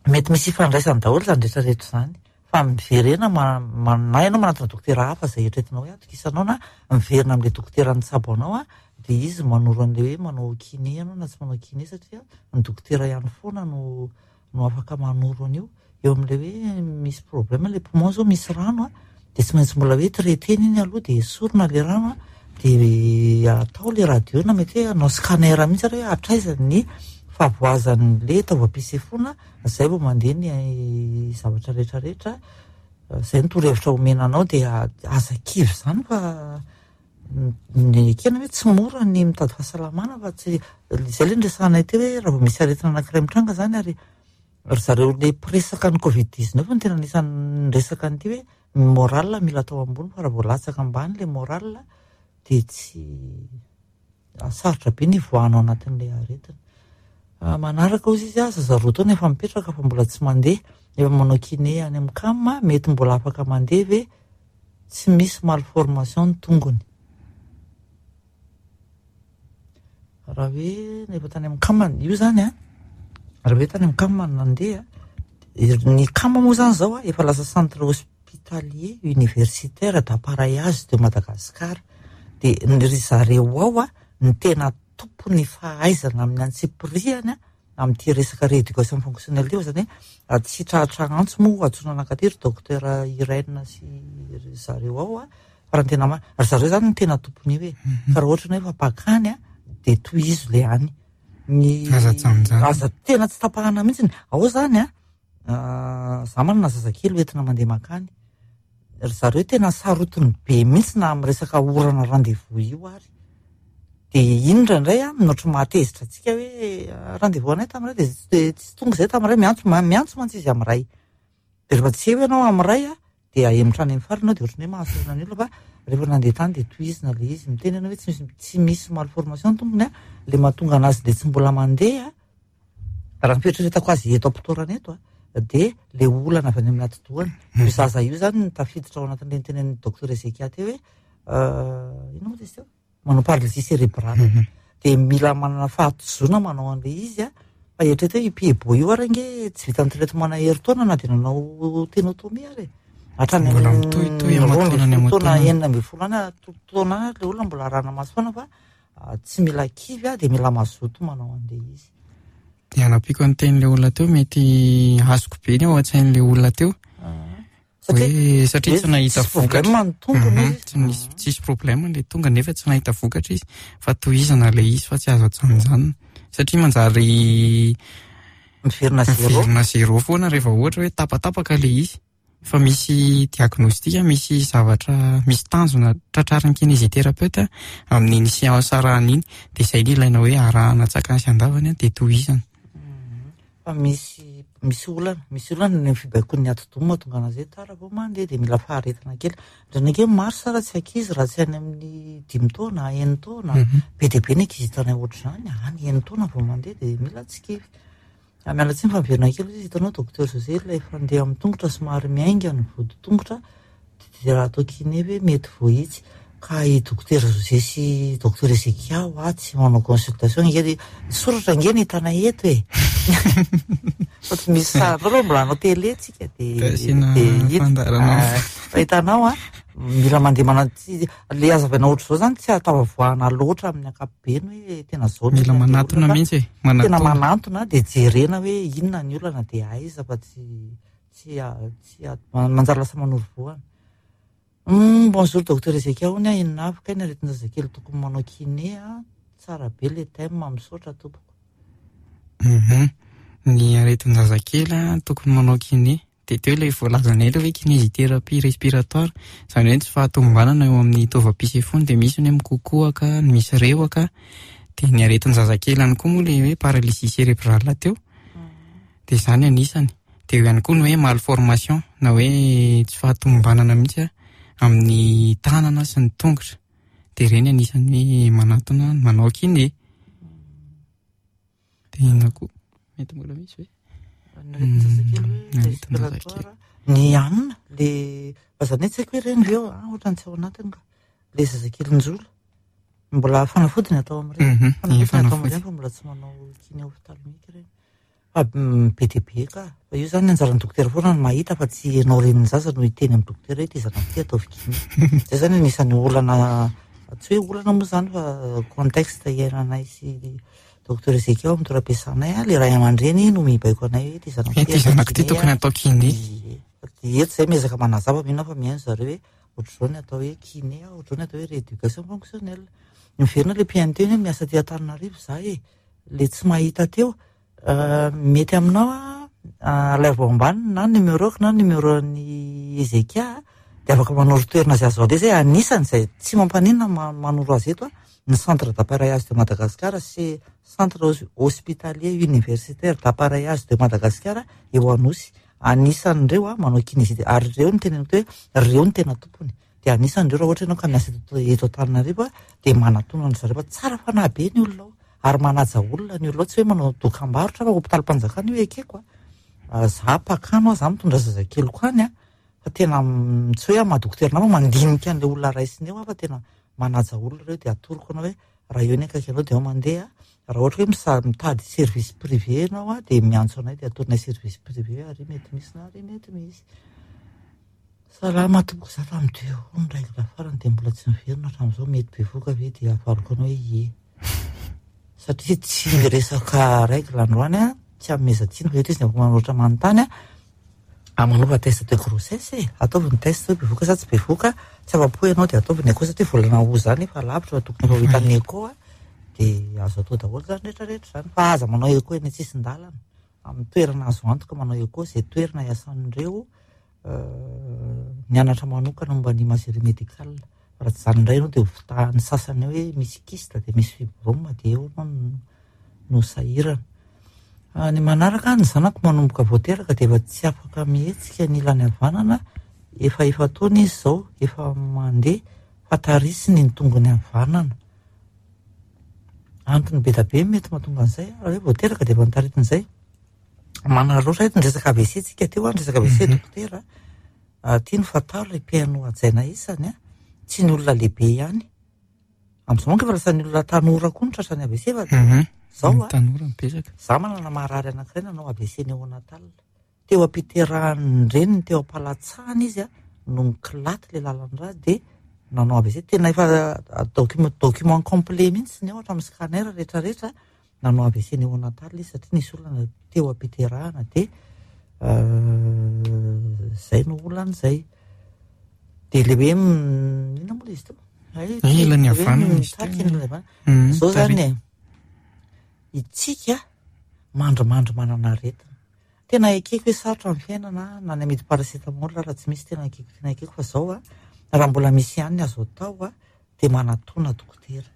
mety misy ifandraisany daholo izany rehetra rehetra izany. Fa miverena na ianao manatona dokotera hafa izay eritreretinao hoe atokisanao na miverina amin'ilay dokotera nitsabo anao dia izy manoro an'ilay hoe manao kiné ianao na tsy manao kiné satria ny dokotera ihany foana no no afaka manoro an'io. Eo amin'ilay hoe misy problème ilay poumon izao misy rano dia tsy maintsy mbola hoe traiter-na iny aloha dia esorina ilay rano dia atao ilay radio na mety hoe hanao scanner mihitsy ary hoe hatraiza ny fahavoazan'ilay taovam-pisefoana. Zay vao mandeha ny zavatra rehetra rehetra, zay no torohevitra omena anao dia aza kivy izany fa ny ekena hoe tsy mora ny mitady fahasalamana fa tsy izay ilay niresahanay teo hoe raha vao misy aretina anankiray mitranga izany ary ry zareo ilay mpiresaka ny covid 19 no tena anisan'ny niresaka an'ity hoe ny moral mila atao ambony fa raha vao latsaka ambany ilay moral dia tsy Sarotra be ny hivoahana ao anatin'ilay aretina. Manaraka hozy izy, zaza 2 taona efa mipetraka fa mbola tsy mandeha, efa manao kiné any amin'ny cam, mety mbola afaka mandeha ve? Tsy misy malformation ny tongony. Raha hoe efa tany amin'ny cam, io zany an, raha hoe tany amin'ny cam no nandeha, ny cam moa zany zao efa lasa centre hospitalier universitaire d'appareillage de Madagascar. Dia ry zareo ao no tena tompon'ny fahaizana amin'ny antsipirihany amin'ity resaka rééducation fonctionnelle ity fa izany hoe tsy tratra antso moa antsoina anankaty ry docteur Irène sy ry zareo ao fa raha ny tena marina, ry zareo izany no tena tompon'io e. Fa raha ohatra ny hoe efa mpakany dia tohizo ilay any. Ny Aza ajanonjanona. Aza tena tsy tapahana mihitsy. Ao izany an, za manana zazakely hoentina mandeha mankany. Ry zareo tena sarotiny be mihitsy na amin'ny resaka orana rendez-vous io ary. Dia iny indraindray an, no ohatry mahatezitra antsika hoe rendez-vous anay tamin'iray dia tsy tonga izay tamin'iray, miantso, miantso mantsy izy amin'iray. Dia rehefa tsy eo ianao amin'iray an, dia ahemotra any amin'ny farany ianao dia ohatran'ny hoe mahasorena ny olona fa rehefa nandeha tany dia tohizina ilay izy. Miteny ianao hoe tsy misy malformation ny tompony an, ilay mahatonga an'azy dia tsy mbola mandeha an. Raha ny fieritreretako azy eto am-potorana eto dia ilay olana avy any amin'ny atidohany. Io zaza io izany no tafiditra ao anatin'ilay nitenenin'ny docteur Ezekia teo hoe inona moa izy teo? Manao paralysie cérébrale. Dia mila manana fahatozoana manao an'ilay izy an. Fa eritrereto hoe io pied-bot io ary ange tsy vitan'ny traitement-na herintaona na dia nanao ténotomie ary e. Hatrany Mbola amin'ny mitohitohy aman-taonany 12 taona, aman-taonany. 16 any, taona any ilay olona mbola arahana maso foana fa Tsy mila kivy aho dia mila mazoto manao an'ilay izy. Dia hanampiako ny tenin'ilay olona teo, mety azoko be ny ao an-tsain'ilay olona teo. Hoe satria tsy nahita vokatra. Problème ny tongony izy. Tsy nisy, tsisy problème ilay tonga nefa tsy nahita vokatra izy fa tohizana ilay izy fa tsy azo ajanonjanona. Satria manjary miverina zéro. Miverina zéro foana rehefa ohatra hoe tapatapaka ilay izy. Fa misy diagnostic, misy zavatra, misy tanjona tratrarin'ny kinésithérapeute amin'iny séance arahana iny, dia izay no ilaina hoe arahana an-tsakany sy an-davany dia tohizana. Fa misy, misy olana, misy olana ny fibaikoan'ny atidoha mahatonga anazy hoe tara vao mandeha dia mila faharetana kely. Indraindray ange maro sara tsy ankizy raha tsy any amin'ny 5 taona, 6 taona, be dia be ny ankizy hitanay ohatr'izany, any 6 taona vao mandeha dia mila tsy kivy. Miala tsiny fa miverina kely izy, hitanao Docteur José ilay fandeha amin'ny tongotra somary miainga ny vodi-tongotra dia raha atao kiné ve mety voahitsy? Ka i Docteur José sy Docteur Ezekia hoa tsy manao consultation ange dia soratra ange ny hitanay eto e! Fa tsy misy sary aloha mbola hanao télé tsika dia Asiana dia hita. fandaharana. Fa hitanao an, mila mandeha manao tsy le hazavaina ohatr'izao zany tsy ahatafavoahana loatra amin'ny ankapobeny hoe tena zao ny Mila olana manatona fa mihitsy e, tena manatona. manantona dia jerena hoe inona ny olana dia aiza fa tsy tsy tsy manjary lasa manoro vohana. Bonjour docteur Ezekia, hono aho inona avy kay ny aretin-jazakely tokony manao kiné a? Tsara be le thème, misaotra tompoko. Ny aretin-jazakely a, tokony manao kiné. Dia teo ilay voalazanay ilay hoe kinésithérapie respiratoire, izany hoe ny tsy fahatomombanana eo amin'ny taovam-pisefoana, dia misy ny hoe mikokoaka, ny misy rehoka, dia ny aretin-jazakely ihany koa moa ilay hoe paralysie cérébrale teo, dia izany anisany. Dia eo ihany koa ny hoe malformation na hoe tsy fahatomombanana mihitsy amin'ny tanana sy ny tongotra. Dia ireny anisan'ny hoe manatona manao kiné. Dia inona koa? Mety mbola misy ve? Ny aretin-jazakely hoe respiratoire. Ny anona, le fa zany hoe tsy haiko hoe ireny ve ao, ah, ohatran'ny tsy ao anatiny ka. Le zazakely njola. Mbola fanafody ny atao amin'ireny. Fanafody ny atao amin'ireny fa mbola tsy manao kiné ophtalmique ireny. Fa be dia be ka. Fa io zany anjaran'ny dokotera foana no mahita fa tsy ianao renin'ny zaza no hiteny amin'ny dokotera hoe ity zanako ity ataovy kiné. Zay zany anisan'ny olana, tsy hoe olana moa zany fa contexte iainanay sy docteur Ezekiel ao amin'ny toeram-piasanay, le ray aman-dreny no mibaiko anay hoe ity zanako ity Ity zanako ity tokony atao kiné. Ie. Dia eto zay miezaka manazava, mino aho fa mihaino zareo hoe ohatr'izao ny atao hoe kiné, ohatr'izao ny atao hoe rééducation fonctionnelle. Miverina le mpihaino teny hoe miasa aty Antananarivo za e, le tsy mahita teo. Mety aminao a, alaivo ao ambany na numéro-ko na numéro-n'i Ezekia dia afaka manoro toerana izay azo aleha izay, anisany izay tsy mampaninona manoro azy eto a, ny centre d'appareillage de Madagascar sy centre hospitalier universitaire d'appareillage de Madagascar eo Anosy, anisan'ireo a manao kinésie, ary ireo no teneniko hoe ireo no tena tompony, dia anisan'ireo raha ohatra ianao ka miasa eto Antananarivo a, dia manatona an-dry zareo fa tsara fanahy be ny olona ao. Ary manaja olona ny olona ao, tsy hoe manao dokam-barotra fa hopitalim-panjakana io ekeko a. Za mpakano aho, za mitondra zazakeliko any a, fa tena tsy hoe amin'ny maha dokotera anao fa mandinika an'ilay olona raisina eo aho fa tena manaja olona ireo dia atoroko anao hoe raha eo ny akaiky anao dia ao mandeha, raha ohatra hoe mitady service privé ianao a dia miantso anay dia atoronay service privé hoe ary mety misy na ary mety misy. Salama tompoko, za tamin'ny deux roues ny règle farany dia mbola tsy niverina hatramin'izao, mety bevohoka ve dia avaliko anao hoe ie. Satria tsy miresaka règle androany an, tsy hanomezan-tsiny fa eto izy afaka manoratra manontany an, ah, manaova test de grossesse e, ataovy ny test hoe bevohoka sa tsy bevohoka, tsy afa-po ianao dia ataovy ny echo satria volana août zany efa lavitra fa tokony efa ho hitan'ny echo an, dia azo atao daholo zany rehetra rehetra zany fa aza manao echo eny an-tsisin-dalana, amin'ny toerana azo antoka manao echo izay toerana iasan'ireo nianatra manokana momba ny imagerie médicale. Raha tsy izany indray ianao dia ho fitahan'ny sasany eo hoe misy kyste dia misy fibrome dia eo ianao no sahirana. Ny manaraka, ny zanako manomboka vao teraka dia efa tsy afaka mihetsika ny ilany havanana, efa efa-taona izy izao, efa mandeha fa tarisiny ny tongony havanana. Antony be dia be mety mahatonga an'izay, raha hoe vao teraka dia efa notaritina izay. Manararaotra eto ny resaka AVC tsika teo an, resaka AVC dokotera. Aty ny fantaro ry mpihaino hajaina isany an, tsy ny olona lehibe ihany. Amin'izao manko efa lasa ny olona tanora koa no tratran'ny AVC fa zao an. Tanora mipezaka. Za manana marary anankiray nanao AVC néonatal. Teo am-piterahan'ny reniny, teo am-palatsahana izy an, no nikilaty ilay lalan-drà dia nanao AVC. Tena efa document complet mihitsy ny ao hatramin'ny scanner rehetrarehetra. Nanao AVC néonatal izy satria nisy olana teo am-piterahana dia zay no olana zay. Dia le hoe inona moa le izy teo? Ilany havanana izy teo. Ilany havanana. Zao zany e, itsika mandrimandry manana aretina. Tena ekeko hoe sarotra ny fiainana na ny amidy paracetamol raha tsy misy tena ekeko, tena ekeko fa zao a, raha mbola misy ihany ny azo atao a, dia manatona dokotera.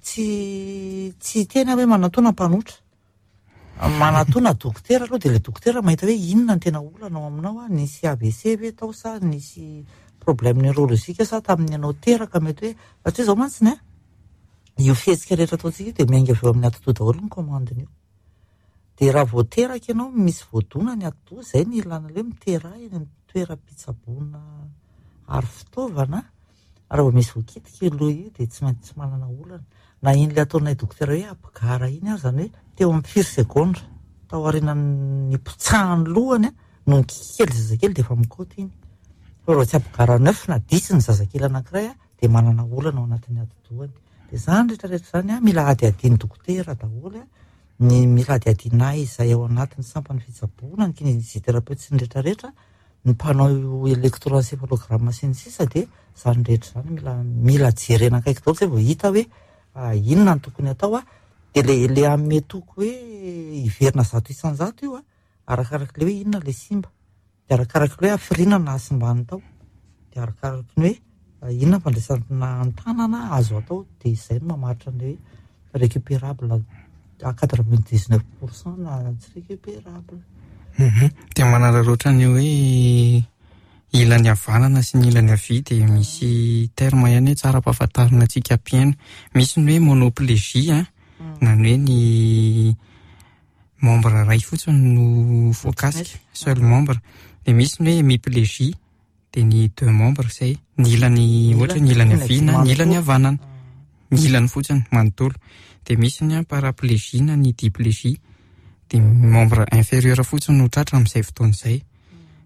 Tsy tsy hiteny aho hoe manatona mpanotra. Manatona dokotera aloha dia ilay dokotera mahita hoe inona ny tena olana ao aminao a, nisy AVC ve tao sa nisy problème neurologique sa tamin'ny ianao teraka mety hoe, satria izao mantsy ny a, io fihetsika rehetra ataontsika io dia miainga avy eo amin'ny atidoha daholo ny commande-ny io. Dia raha vao teraka ianao misy voadona ny atidoha, izay ny ilana ilay hoe miteraha eny amin'ny toeram-pitsaboana ary fitaovana, raha vao misy voakitika io loha io dia tsy maintsy manana olana. Na iny ilay ataonay dokotera hoe apgar iny aza, izany hoe teo amin'ny firy segondra tao aorianan'ny nipotsahan'ny lohany no nikiky kely zazakely dia efa mikaoty iny. Fa raha vao tsy apgar neuf na dix ny zazakely anankiray dia manana olana ao anatin'ny atidohany. Dia izany rehetra rehetra izany mila hadihadian'ny dokotera daholo. Ny mila hadihadiana izay ao anatin'ny sampan'ny fitsaboana, ny kinésithérapeute sy ny rehetra rehetra, ny mpanao électroencéphalogramme sy ny sisa dia izany rehetra izany mila mila jerena akaiky daholo izay vao hita hoe inona no tokony atao a. Dia le le hanome toky hoe hiverina 100% io a, arakaraka ilay hoe inona ilay simba. Dia arakaraky ny hoe hafiriana no nahasimbany tao, dia arakaraky ny hoe inona ny fandraisana an-tanana azo atao, dia izay no mamaritra ny hoe récupérable à 99% na tsy récupérable. Dia manararaotra ny hoe Ilany havanana sy ny ilany havia dia misy terme ihany hoe tsara ampahafantarina antsika mpihaino. Misy ny hoe monoplégie a, na ny hoe ny membre iray fotsiny no voakasika, seul membre. Dia misy ny hoe hémiplégie, dia ny deux membres izay, ny ilany ohatra ny ilany havia na ny ilany havanana, ny ilany fotsiny manontolo. Dia misy ny paraplégie na ny diplégie, dia membre inférieur fotsiny no tratra amin'izay fotoana izay.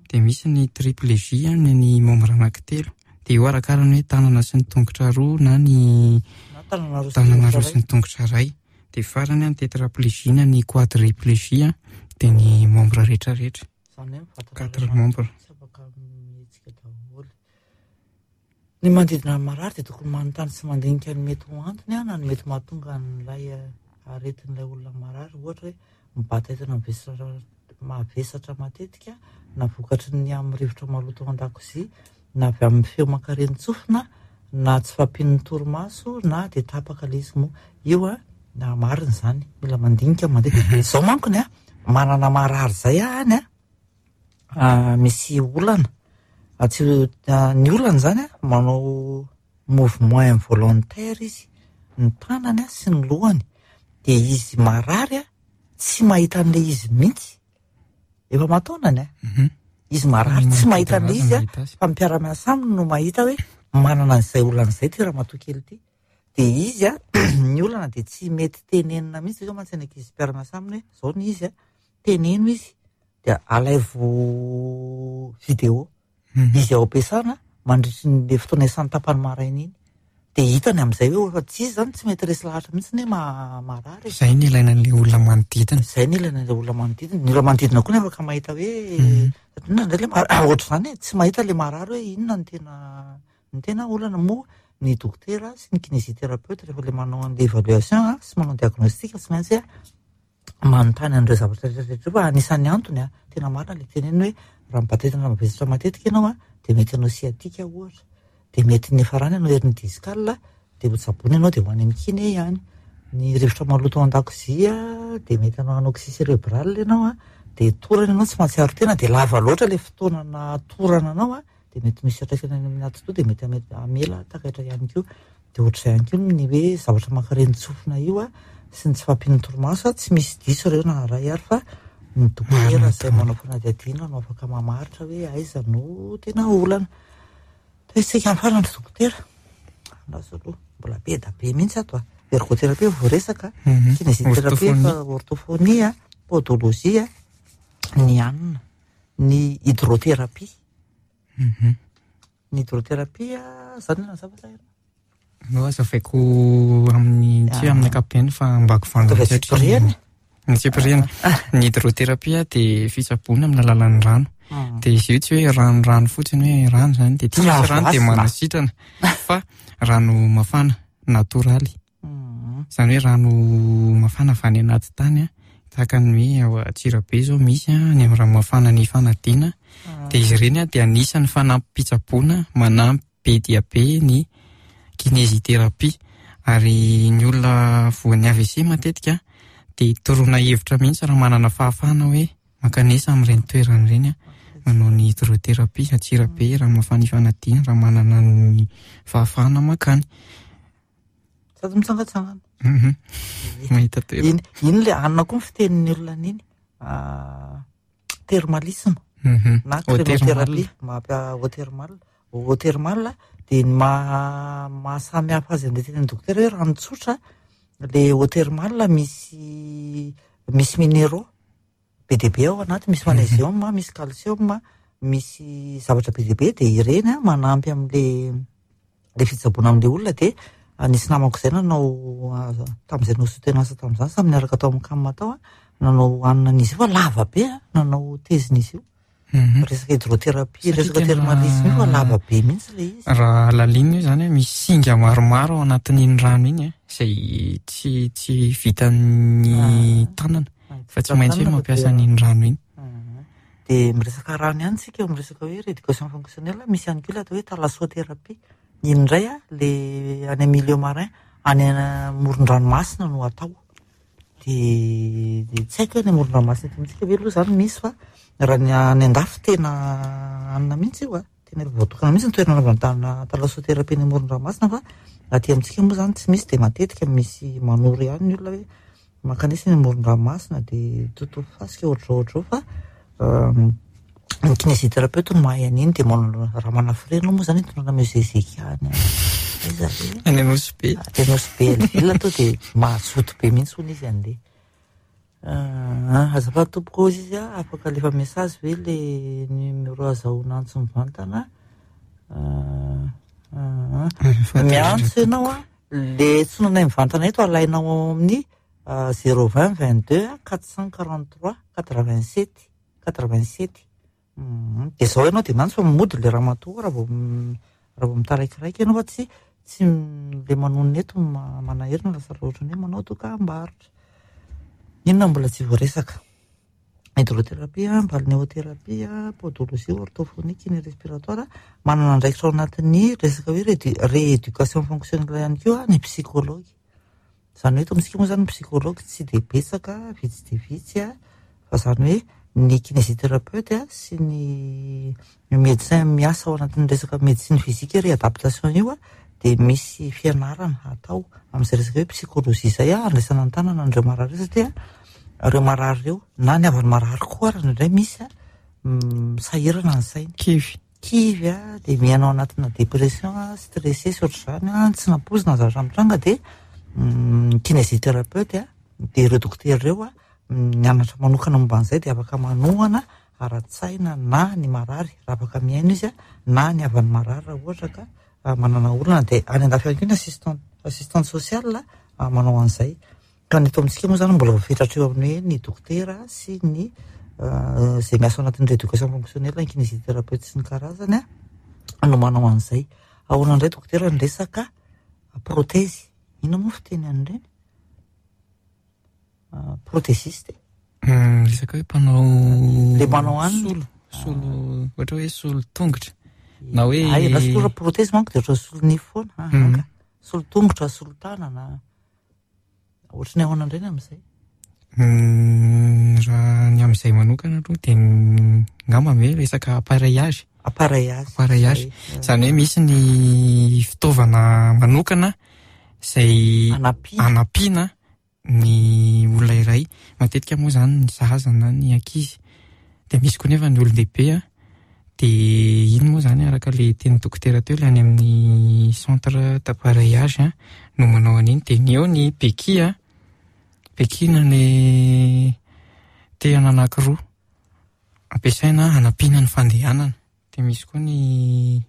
Dia misy ny triplégie, ny ny membre anankitelo. Dia io arakarany hoe tanana sy ny tongotra roa na ny tanana roa sy ny tongotra iray. Dia farany ny tétraplégie na ny quadriplégie, dia ny membre rehetrarehetra. Quatre membres. Tsy afaka mihetsika daholo. Ny manodidina ny marary dia tokony manontany sy mandinika ny mety ho antony na ny mety mahatonga an'ilay aretin'ilay olona marary. Ohatra hoe mibata entana mavesatra matetika na vokatry ny amin'ny rivotra maloto ao an-dakozia na avy amin'ny feo mankarenin-tsofina na tsy fahampian'ny torimaso na dia tapaka ilay izy moa. Io a, na marina izany, mila mandinika mandeha. Izao mankony a, manana marary izay aho any a, misy olana. Tsy ny olana izany a, manao mouvement involontaire izy, ny tanany a sy ny lohany. Dia izy marary a, tsy mahita an'ilay izy mihitsy. Efa aman-taonany a. Izy marary tsy mahita an'ilay izy a, fa ny mpiara-miasa aminy no mahita hoe manana an'izay olana izay ity ramatoa kely ity. Dia izy a, ny olana dia tsy mety tenenina mihitsy, izao mantsy ny ankizy mpiara-miasa aminy hoe izao ny izy a, teneno izy dia alaivo vidéo izy ao am-piasana mandritry ny fotoana isan'ny tapany maraina iny. Dia hitany amin'izay hoe efa tsy izy izany tsy mety resy lahatra mihitsy ny hoe marary. Izay ny ilaina an'ilay olona manodidina. Izay ny ilaina an'ilay olona manodidina. Ny olona manodidina koa nefa ka mahita hoe inona indray ilay marary, ohatr'izany e, tsy mahita ilay marary hoe inona ny tena ny tena olana. Moa ny dokotera sy ny kinésithérapeute rehefa ilay manao an'ilay évaluation sy manao diagnostic tsy maintsy manontany an'ireo zavatra rehetra rehetra ireo fa anisan'ny antony a, tena marina ilay teneniny hoe raha mibata entana mavesatra matetika ianao a, dia mety hanao sciatique ohatra, dia mety niafarany hanao hernie discale, dia ho tsaboina ianao dia ho any amin'ny kiné ihany. Ny rivotra maloto ao an-dakozia dia mety hanao anoxie cérébrale ianao a, dia torana ianao tsy mahatsiaro tena, dia lava loatra ilay fotoana nahatorana anao a, dia mety misy fiantraikany any amin'ny atidoha dia mety hamela takaitra ihany koa. Dia ohatr'izay ihany koa ny hoe zavatra mankarenin-tsofina io a, sy ny tsy fahampian'ny torimaso a, tsy misy diso ireo na iray ary fa ny dokotera izay manao fanadihadiana no afaka mamaritra hoe aiza no tena olana. Tohizantsika amin'ny farany ry dokotera. Andraso aloha, mbola be da be mihitsy ato a. Ergothérapie voaresaka, kinésithérapie, orthophonie, podologie, ny anona, ny hydrothérapie. Ny hydrothérapie zany no nazava sa inona? No azavaiko amin'ny tsy hoe amin'ny ankapobeny fa ambakivangana satria ny tsipiriany. Ny hydrothérapie dia fitsaboana amin'ny alalan'ny rano. Dia izy io tsy hoe ranorano fotsiny hoe rano izany dia tsy misy rano dia manasitrana fa rano mafana natoraly. Izany hoe rano mafana avy any anaty tany a, tahaka ny hoe ao Antsirabe izao misy a, any amin'ny rano mafana ny Ifanadiana. Dia izy ireny a dia anisan'ny fanampim-pitsaboana manampy be dia be ny kinésithérapie. Ary ny olona voan'ny AVC matetika dia toroana hevitra mihitsy raha manana fahafahana hoe mankanesa amin'ireny toerana ireny a, manao ny hydrothérapie Antsirabe, rano mafana Ifanadiana raha manana ny fahafahana mankany. Sady mitsangatsangana. Mahita toerana. Iny, iny le anona koa ny fitenin'ny olona an'iny. Thermalisme na Eau thermale. crinothérapie, maha eau thermale. Eau thermale dia ny maha maha samy hafa azy amin'ilay tenin'ny dokotera hoe rano tsotra, le eau thermale misy misy minéraux be dia be ao anaty, misy magnésium, misy calcium, misy zavatra be dia be, dia ireny a manampy amin'le le fitsaboana amin'le olona. Dia nisy namako izay nanao tamin'izay nanao soutenance tamin'izany, samy niaraka tao amin'ny CAM tao a, nanao hanina an'izy io fa lava be a, nanao tezin'izy io. Resaka hydrothérapie, Satria resaka tena thermalisme io fa lava be mihitsy ilay izy. Raha lalinina io izany a, misy singa maromaro ao anatin'iny rano iny a, izay tsy tsy vitan'ny tanana fa tsy maintsy hoe mampiasa an'iny rano iny. Dia miresaka rano ihany tsika eo miresaka hoe rééducation fonctionnelle, misy ihany koa ilay atao hoe thalassothérapie. Iny indray a, le any amin'ny milieu marin, any amoron-dranomasina no atao. Dia dia tsy haiko hoe any amoron-dranomasina eto amintsika ve aloha izany misy fa raha ny any an-dafy tena anona mihitsy io a. tena efa voatokana mihitsy ny toerana anaovana thalassothérapie eny amoron-dranomasina fa aty amintsika moa izany tsy misy dia matetika misy manoro ihany ny olona hoe mankanesa eny amoron-dranomasina dia totofa fasika ohatr'izao ohatr'izao fa ny kinésithérapeute no mahay an'iny dia manao raha manafirena moa izany itondrana monsieur Zekia any aiza re? Any Nosy Be. Any Nosy Be Hell-Ville to dia mazoto be mihitsy hono izy andeha. Azafady tompoko hozy izy a, afaka alefa message ve le numéro azahoana antso mivantana? Miantso ianao a, le antsonanay mivantana eto alainao ao amin'ny 020 22 443 87 87. Dia izao ianao dia miantso fa mody le ramatoa raha vao raha vao mitaraikiraiky ianao fa tsy tsy le manonona eto manahery no lasa ohatran'ny hoe manao dokam-barotra. Inona mbola tsy voaresaka? Hydrothérapie, balnéothérapie, podologie, orthophonie, kiné respiratoire, manana andraikitra ao anatin'ny resaka hoe rééducation fonctionnelle ihany koa ny psychologue. Izany hoe eto amintsika moa izany ny psychologue tsy dia betsaka, vitsy dia vitsy, fa izany hoe ny kinésithérapeute sy ny médecin miasa ao anatin'ny resaka médecine physique réadaptation io dia misy fianarana atao amin'izay resaka hoe psychologie izay handraisana an-tanana an'ireo marary ireo satria ireo marary ireo na ny havan'ny marary koa ary indraindray misy sahirana ny sainy. Kivy. Kivy dia miaina ao anatina dépression, stressé sy ohatr'izany, tsy nampoizina ny zavatra mitranga dia ny kinésithérapeute dia ireo dokotera ireo mianatra manokana momba an'izay dia afaka manohana ara-tsaina na ny marary raha afaka mihaino izy na ny havan'ny marary raha ohatra ka manana olana dia any andafy ihany koa ny assistant assistante sociale manao an'izay. Ka ny eto amintsika moa izany mbola voafetra hatreo amin'ny hoe ny dokotera sy ny izay miasa ao anatin'ny rééducation fonctionnelle, ny kinésithérapeute sy ny karazany no manao an'izay. Ahoana indray dokotera ny resaka prothèse? Inona moa fiteny an'ireny? Prothésiste? Resaka hoe mpanao Le manao anona. Solo, solo, ohatra hoe solo tongotra. Na hoe Ay, raha solo prothèse manko dia ohatran'ny solo nify foana. Ah, Solo tongotra, solo tanana. Ohatran'ny ahoana indray ny amin'izay? Raha ny amin'izay manokana aloha dia angamba hoe resaka appareillage. Appareillage. Appareillage. Izany hoe misy ny fitaovana manokana izay anampiana ny olona iray. Matetika moa izany ny zaza na ny ankizy. Dia misy koa nefa ny olon-dehibe an. Dia iny moa izany araka ilay tenin'ny dokotera teo ilay any amin'ny centre d'appareillage an, no manao an'iny. Dia ny eo ny béquille an, béquille ny tehina anankiroa ampiasaina hanampiana ny fandehanana. Dia misy koa ny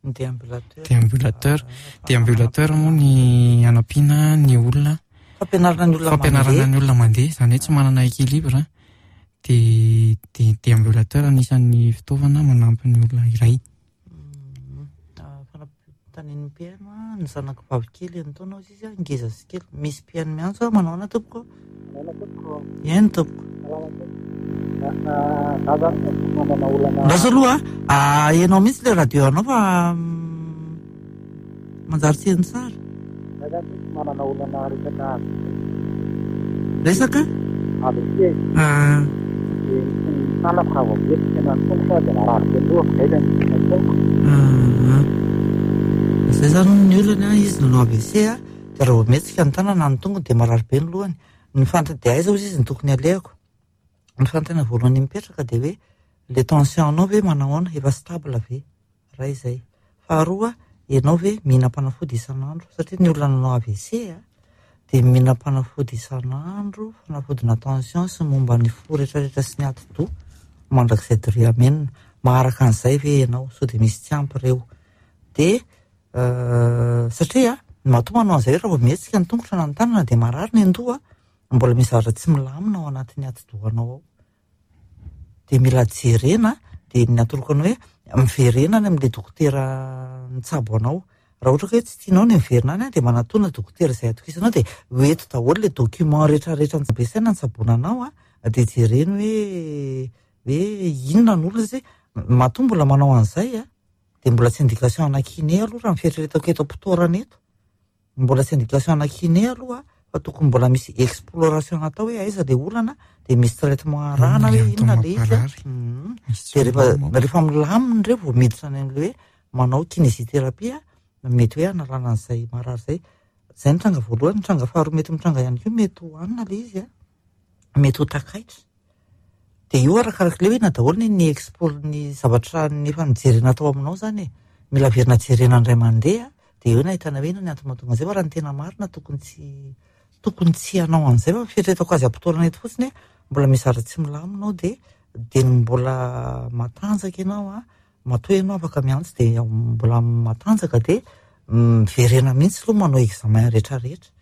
Ny déambulateur. Déambulateur. Déambulateur moa ny hanampiana ny olona. Fampianarana ny olona Fampianarana ny olona mandeha, izany hoe tsy manana équilibre. Dia dia déambulateur anisan'ny fitaovana manampy ny olona iray. Fanampitanin'ny mpihaino ny zanako vavy kely enin-taona hozy izy, ngeza sy kely. Misy mpihaino miantso aho, manao ahoana tompoko? Manao tompoko. Eny tompoko. Salama tompoko. Za zany tompoko manana olana. Andraso aloha a, ahenao mihitsy ilay radio anao fa manjary tsy heno tsara. Za zany tompoko manana olana resaka AVC. Resaka? AVC. Ah. Dia misy ny tanako raha vao mihetsika na ny tongotra dia marary be ny lohako, izay zany ny tongotra. Ah. Izay zany ny olana, izy nanao AVC a. Dia raha vao mihetsika ny tanana na ny tongony dia marary be ny lohany. Ny fanta dia aiza hozy izy no tokony alehako? Ny fanontaniana voalohany mipetraka dia hoe le tension anao ve manao ahoana? Efa stable ve? Iray izay. Faharoa, ianao ve mihinam-panafody isan'andro? Satria ny olona nanao AVC dia mihinam-panafody isan'andro, fanafodina tension sy momba ny fo rehetrarehetra sy ny atidoha mandrakizay doria amenina. Maharaka an'izay ve ianao? Sao dia misy tsy ampy ireo. Dia Satria matoa manao an'izay raha vao mihetsika ny tongotra na ny tanana dia marary ny andoha, mbola misy zavatra tsy milamina ao anatin'ny atidohanao ao. Dia mila jerena, dia ny atoroko anao hoe miverena any amin'ilay dokotera nitsabo anao. Raha ohatra ka hoe tsy tianao ny miverina any dia manatona dokotera izay atokisanao dia ho eto daholo ilay document rehetrarehetra ampiasaina nitsaboana anao dia jereny hoe hoe inona no olana satria matoa mbola manao an'izay Dia mbola tsy indication ana kiné aloha raha ny fieritreretako eto am-pitoerana eto. Mbola tsy indication ana kiné aloha. Fa tokony mbola misy exploration atao hoe aiza le olana, dia misy traitement arahana Le hoe antony inona le izy a. mamparary. Misy Dia rehefa tsindrona manko. rehefa milamina ireo vao miditra any amin'ilay hoe manao kinésithérapie a, mety hoe hanalana an'izay marary izay. Izay ny tranga voalohany, ny tranga faharoa mety mitranga ihany koa mety ho hanina ilay izy a, mety ho takaitra. Dia io arakaraka ilay hoe inona daholo ny ny expo ny zavatra ny efa nijerena tao aminao izany e. Mila averina jerena indray mandeha, dia eo no ahitana hoe inona ny antony mahatonga an'izay fa raha ny tena marina tokony tsy tokony tsy hanao an'izay fa fieritreretako azy am-potoana eto fotsiny hoe mbola misy zavatra tsy milamina ao dia dia ny mbola matanjaka ianao a, matoa ianao afaka miantso dia mbola matanjaka dia miverena mihitsy aloha manao examen rehetrarehetra.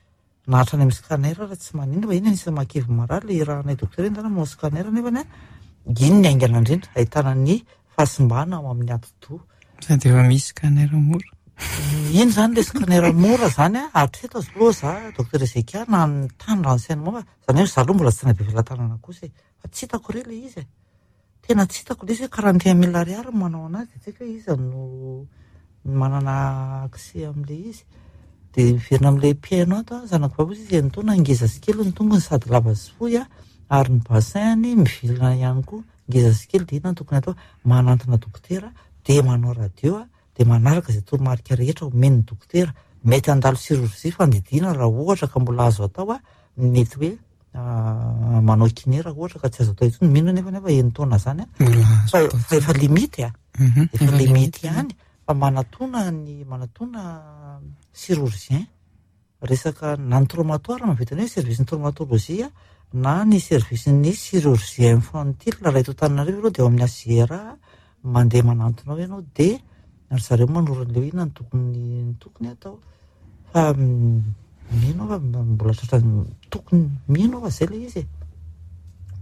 Na hatrany amin'ny scanner raha tsy maninona fa iny anisan'ny mahakivy marary ilay irahanay dokotera iny zany manao scanner nefany a iny ny haingana indrindra ahitana ny fahasimbana ao amin'ny atidoha. Sady efa misy scanner mora. Iny zany ilay scanner mora zany a, hatreto aloha za docteur Ezekia na ny tany renseignement fa zany hoe za aloha mbola tsy nabe velatanana kosa e, fa tsy hitako re ilay izy e. Tena tsy hitako ilay izy hoe 41 mille ariary no manao anazy dia tsy haiko hoe iza no manana accès amin'ilay izy. Dia miverina amin'ilay mpihaino ato aho, zanako vavy hozy izy enin-taona ngeza sy kely ny tongony sady lava sy fohy ary ny bassin-ny mivilana ihany koa ngeza sy kely dia inona no tokony atao? Manantona dokotera dia manao radio dia manaraka izay toromarika rehetra omen'ny dokotera. Mety handalo chirurgie fandidiana raha ohatra ka mbola azo atao, mety hoe manao kiné raha ohatra ka tsy azo atao intsony. Mino anefa nefa enin-taona zany a, Mbola azo fa atao fa efa limite a, efa Efa limite limite ihany fa manatona ny manatona chirurgien resaka na ny traumatoire mahavita ny hoe service ny traumatologie na ny service ny chirurgie infantile raha eto Antananarivo aloha dia ao amin'ny HJRA mandeha manantona ao ianao dia ry zareo manoro an'ilay hoe inona no tokony ny tokony atao fa mino aho fa mbola tratra tokony mino aho fa zay ilay izy e.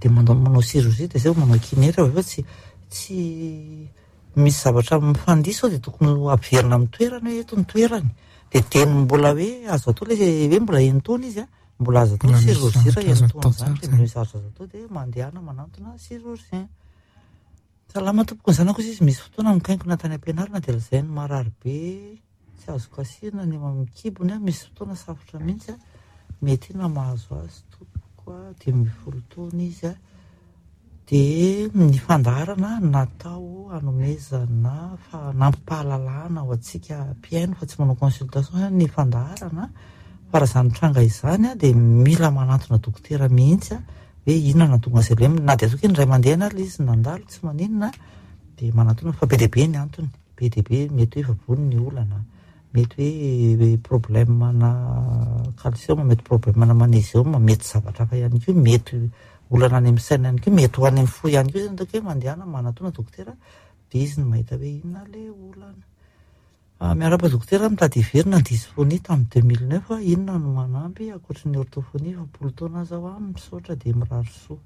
Dia manao manao chirurgie dia zay vao manao kiné rehefa avy eo tsy tsy misy zavatra mifandiso ao dia tokony ho averina amin'ny toerany hoe eto ny toerany. Dia teny mbola hoe azo atao ilay hoe mbola enin-taona izy a, mbola azo atao Mbola misy chirurgie raha zavatra azo enin-taona atao izany tsara dia zany. misy zavatra azo atao dia mandehana manantona chirurgien. Salama tompoko, ny zanako izy misy fotoana mikainkona tany am-pianarana dia lazainy marary be tsy azo kasihina ny eo amin'ny kibony a, misy fotoana safotra mihitsy a, mety inona mahazo azy tompoko a, 15 taona izy a, dia ny fandaharana natao hanomezana fanampim-pahalalana ho antsika mpihaino fa tsy manao consultation ny fandaharana fa raha izany tranga izany a dia mila manantona dokotera mihitsy a hoe inona no nahatonga azy ireny, na dia ataoko hoe indray mandeha ary ilay izy nandalo tsy maninona dia manantona fa be dia be ny antony, be dia be mety hoe efa vony ny olana, mety hoe problème na calcium, mety problème na magnésium, mety zavatra hafa ihany koa, mety olana any amin'ny saina ihany koa, mety ho any amin'ny fo ihany koa izany ataoko hoe mandehana manantona dokotera dia izy no mahita hoe inona ilay olana. Miarahaba dokotera, mitady hiverina ny dysphonie tamin'ny 2009, inona no manampy ankoatry ny orthophonie, efa am-polo taona aza aho, misaotra dia mirary soa.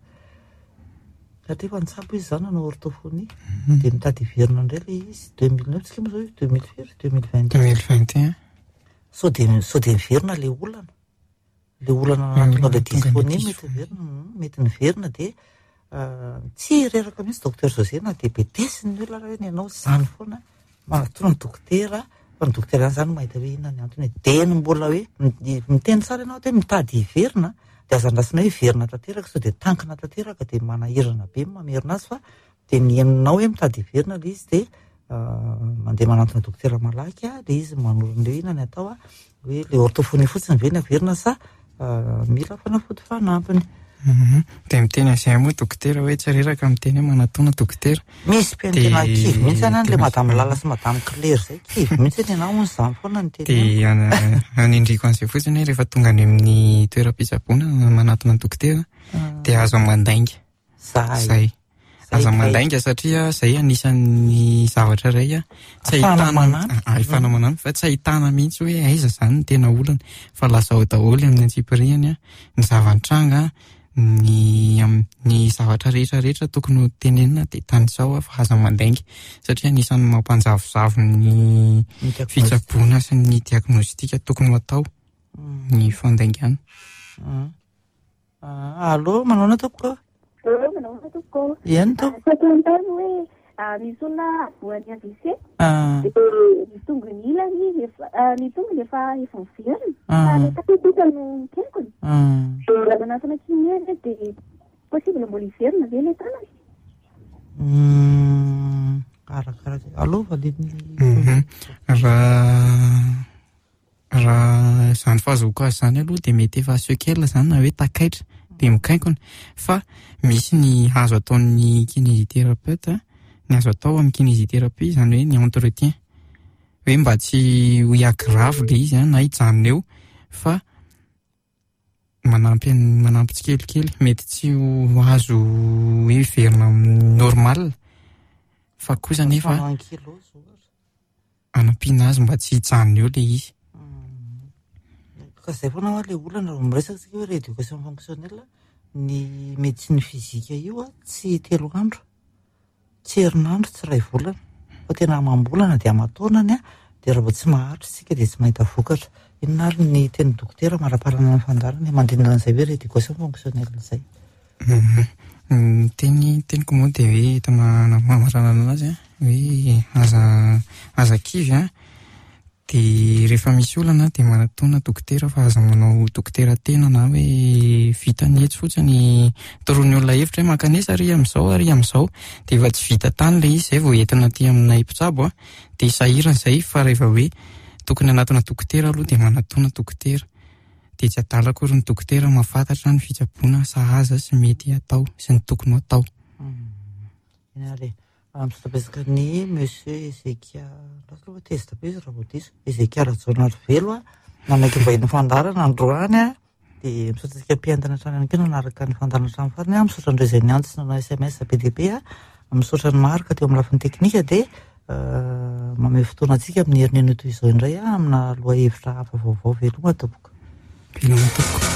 Satria efa nitsabo izy izany nanao orthophonie, dia mitady hiverina indray ilay izy, 2009 tsika moa izao 2000 firy? 2021. 2021. Sao dia sao dia miverina ilay olana. Le olana nahatonga ilay dysphonie mety miverina, mety miverina dia tsy reraka mihitsy docteur José na dia betesiny ny olona raha hoe ny anao izany foana manatona ny dokotera fa ny dokotera ihany izany no mahita hoe inona ny antony e. Dia ny mbola hoe miteny tsara ianao hoe mitady hiverina dia aza andrasana hoe hiverina tanteraka sao dia tankina tanteraka dia manahirana be ny mamerina azy fa dia ny henonao hoe mitady hiverina ilay izy dia mandeha manantona dokotera malaky dia izy manoro an'ilay hoe inona ny atao hoe ilay orthophonie fotsiny ve ny averina sa mila fanafody fanampiny. Dia miteny an'izay moa dokotera hoe tsy reraka miteny hoe manatona dokotera. Misy mpihaino tena kivy mihitsy any ilay madame Lala sy madame Claire izay kivy mihitsy ny anao hono izany foana ny teny. Dia anindriko an'izay fotsiny hoe rehefa tonga any amin'ny toeram-pitsaboana manatona dokotera dia aza mandainga. Zay. Zay. Aza mandainga satria zay anisan'ny zavatra iray a tsy Ahafahana ahitana manampy. ahafahana manampy fa tsy ahitana mihitsy hoe aiza zany ny tena olana fa lazao daholo amin'ny antsipiriany a ny zava-nitranga ny ny zavatra rehetra rehetra tokony ho tenenina dia tanisao a fa aza mandainga satria anisan'ny mampanjavozavo ny Ny diagnostic. fitsaboana sy ny diagnostic tokony ho atao ny fandaingana. Allô, manao ahoana tompoko? Allô, manao ahoana tompoko? Eny tompoko. Saika hanontany hoe Misy olona voan'ny AVC dia ny tongony ilany efa ny tongony efa efa miverina fa ilay tanana kosa no mikenkona. Dia raha manatona kiné ve dia possible mbola hiverina ve ilay tanana? Arakaraka aloha valian'ny Raha Raha izany fahazoako azy izany aloha dia mety efa sequelle izany na hoe takaitra dia mikainkona fa misy ny azo ataon'ny kinésithérapeute, ny azo atao amin'ny kinésithérapie izany hoe ny entretien hoe mba tsy ho hi-aggrave ilay izy na hijanona eo fa manampy manampy tsikelikely mety tsy ho azo hoe hiverina amin'ny normal fa kosa nefa hanampiana azy mba tsy hijanona eo ilay izy. Ka izay foana hoa ilay olana raha vao miresaka isika hoe rééducation fonctionnelle, ny médecine physique io tsy telo andro, tsy herinandro, tsy iray volana fa tena amam-bolana dia aman-taonany dia raha vao tsy maharitra isika dia tsy mahita vokatra. Inona ary ny tenin'ny dokotera maraparana ny fandaharana mandindona an'izay hoe rééducation fonctionnelle izay? Ny teny teniko moa dia hoe entina hamaranana anazy an, hoe aza aza kivy an, dia rehefa misy olana dia manatòna dokotera fa aza manao dokotera tena na hoe vita ny etsy fotsiny toroan'ny olona hevitra hoe mankanesa ary amin'izao ary amin'izao dia efa tsy vita tany ilay izy izay vao entina aty aminay mpitsabo an, dia sahirana izay fa rehefa hoe tokony hanatona dokotera aloha dia manatòna dokotera. Dia tsy adala akory ny dokotera mahafantatra ny fitsaboana sahaza sy mety hatao sy ny tokony ho atao. Eny ary e. Misaotra betsaka ny Monsieur Ezekia, lasa aloha tezitra be izy raha vao diso, Ezekia Rajaonarivelo a, nanaiky vahiny fandaharana androany a, dia misaotra antsika mpientana hatrany ihany koa nanaraka ny fandaharana hatramin'ny farany a, misaotra an'ireo izay niantso sy nanao SMS be dia be a, misaotra an'i Marc teo amin'ny lafiny teknika dia Mamehy fotoana antsika amin'ny herin'ny anio toy izao indray amina lohahevitra hafa vaovao. Veloma tompoko. Veloma tompoko.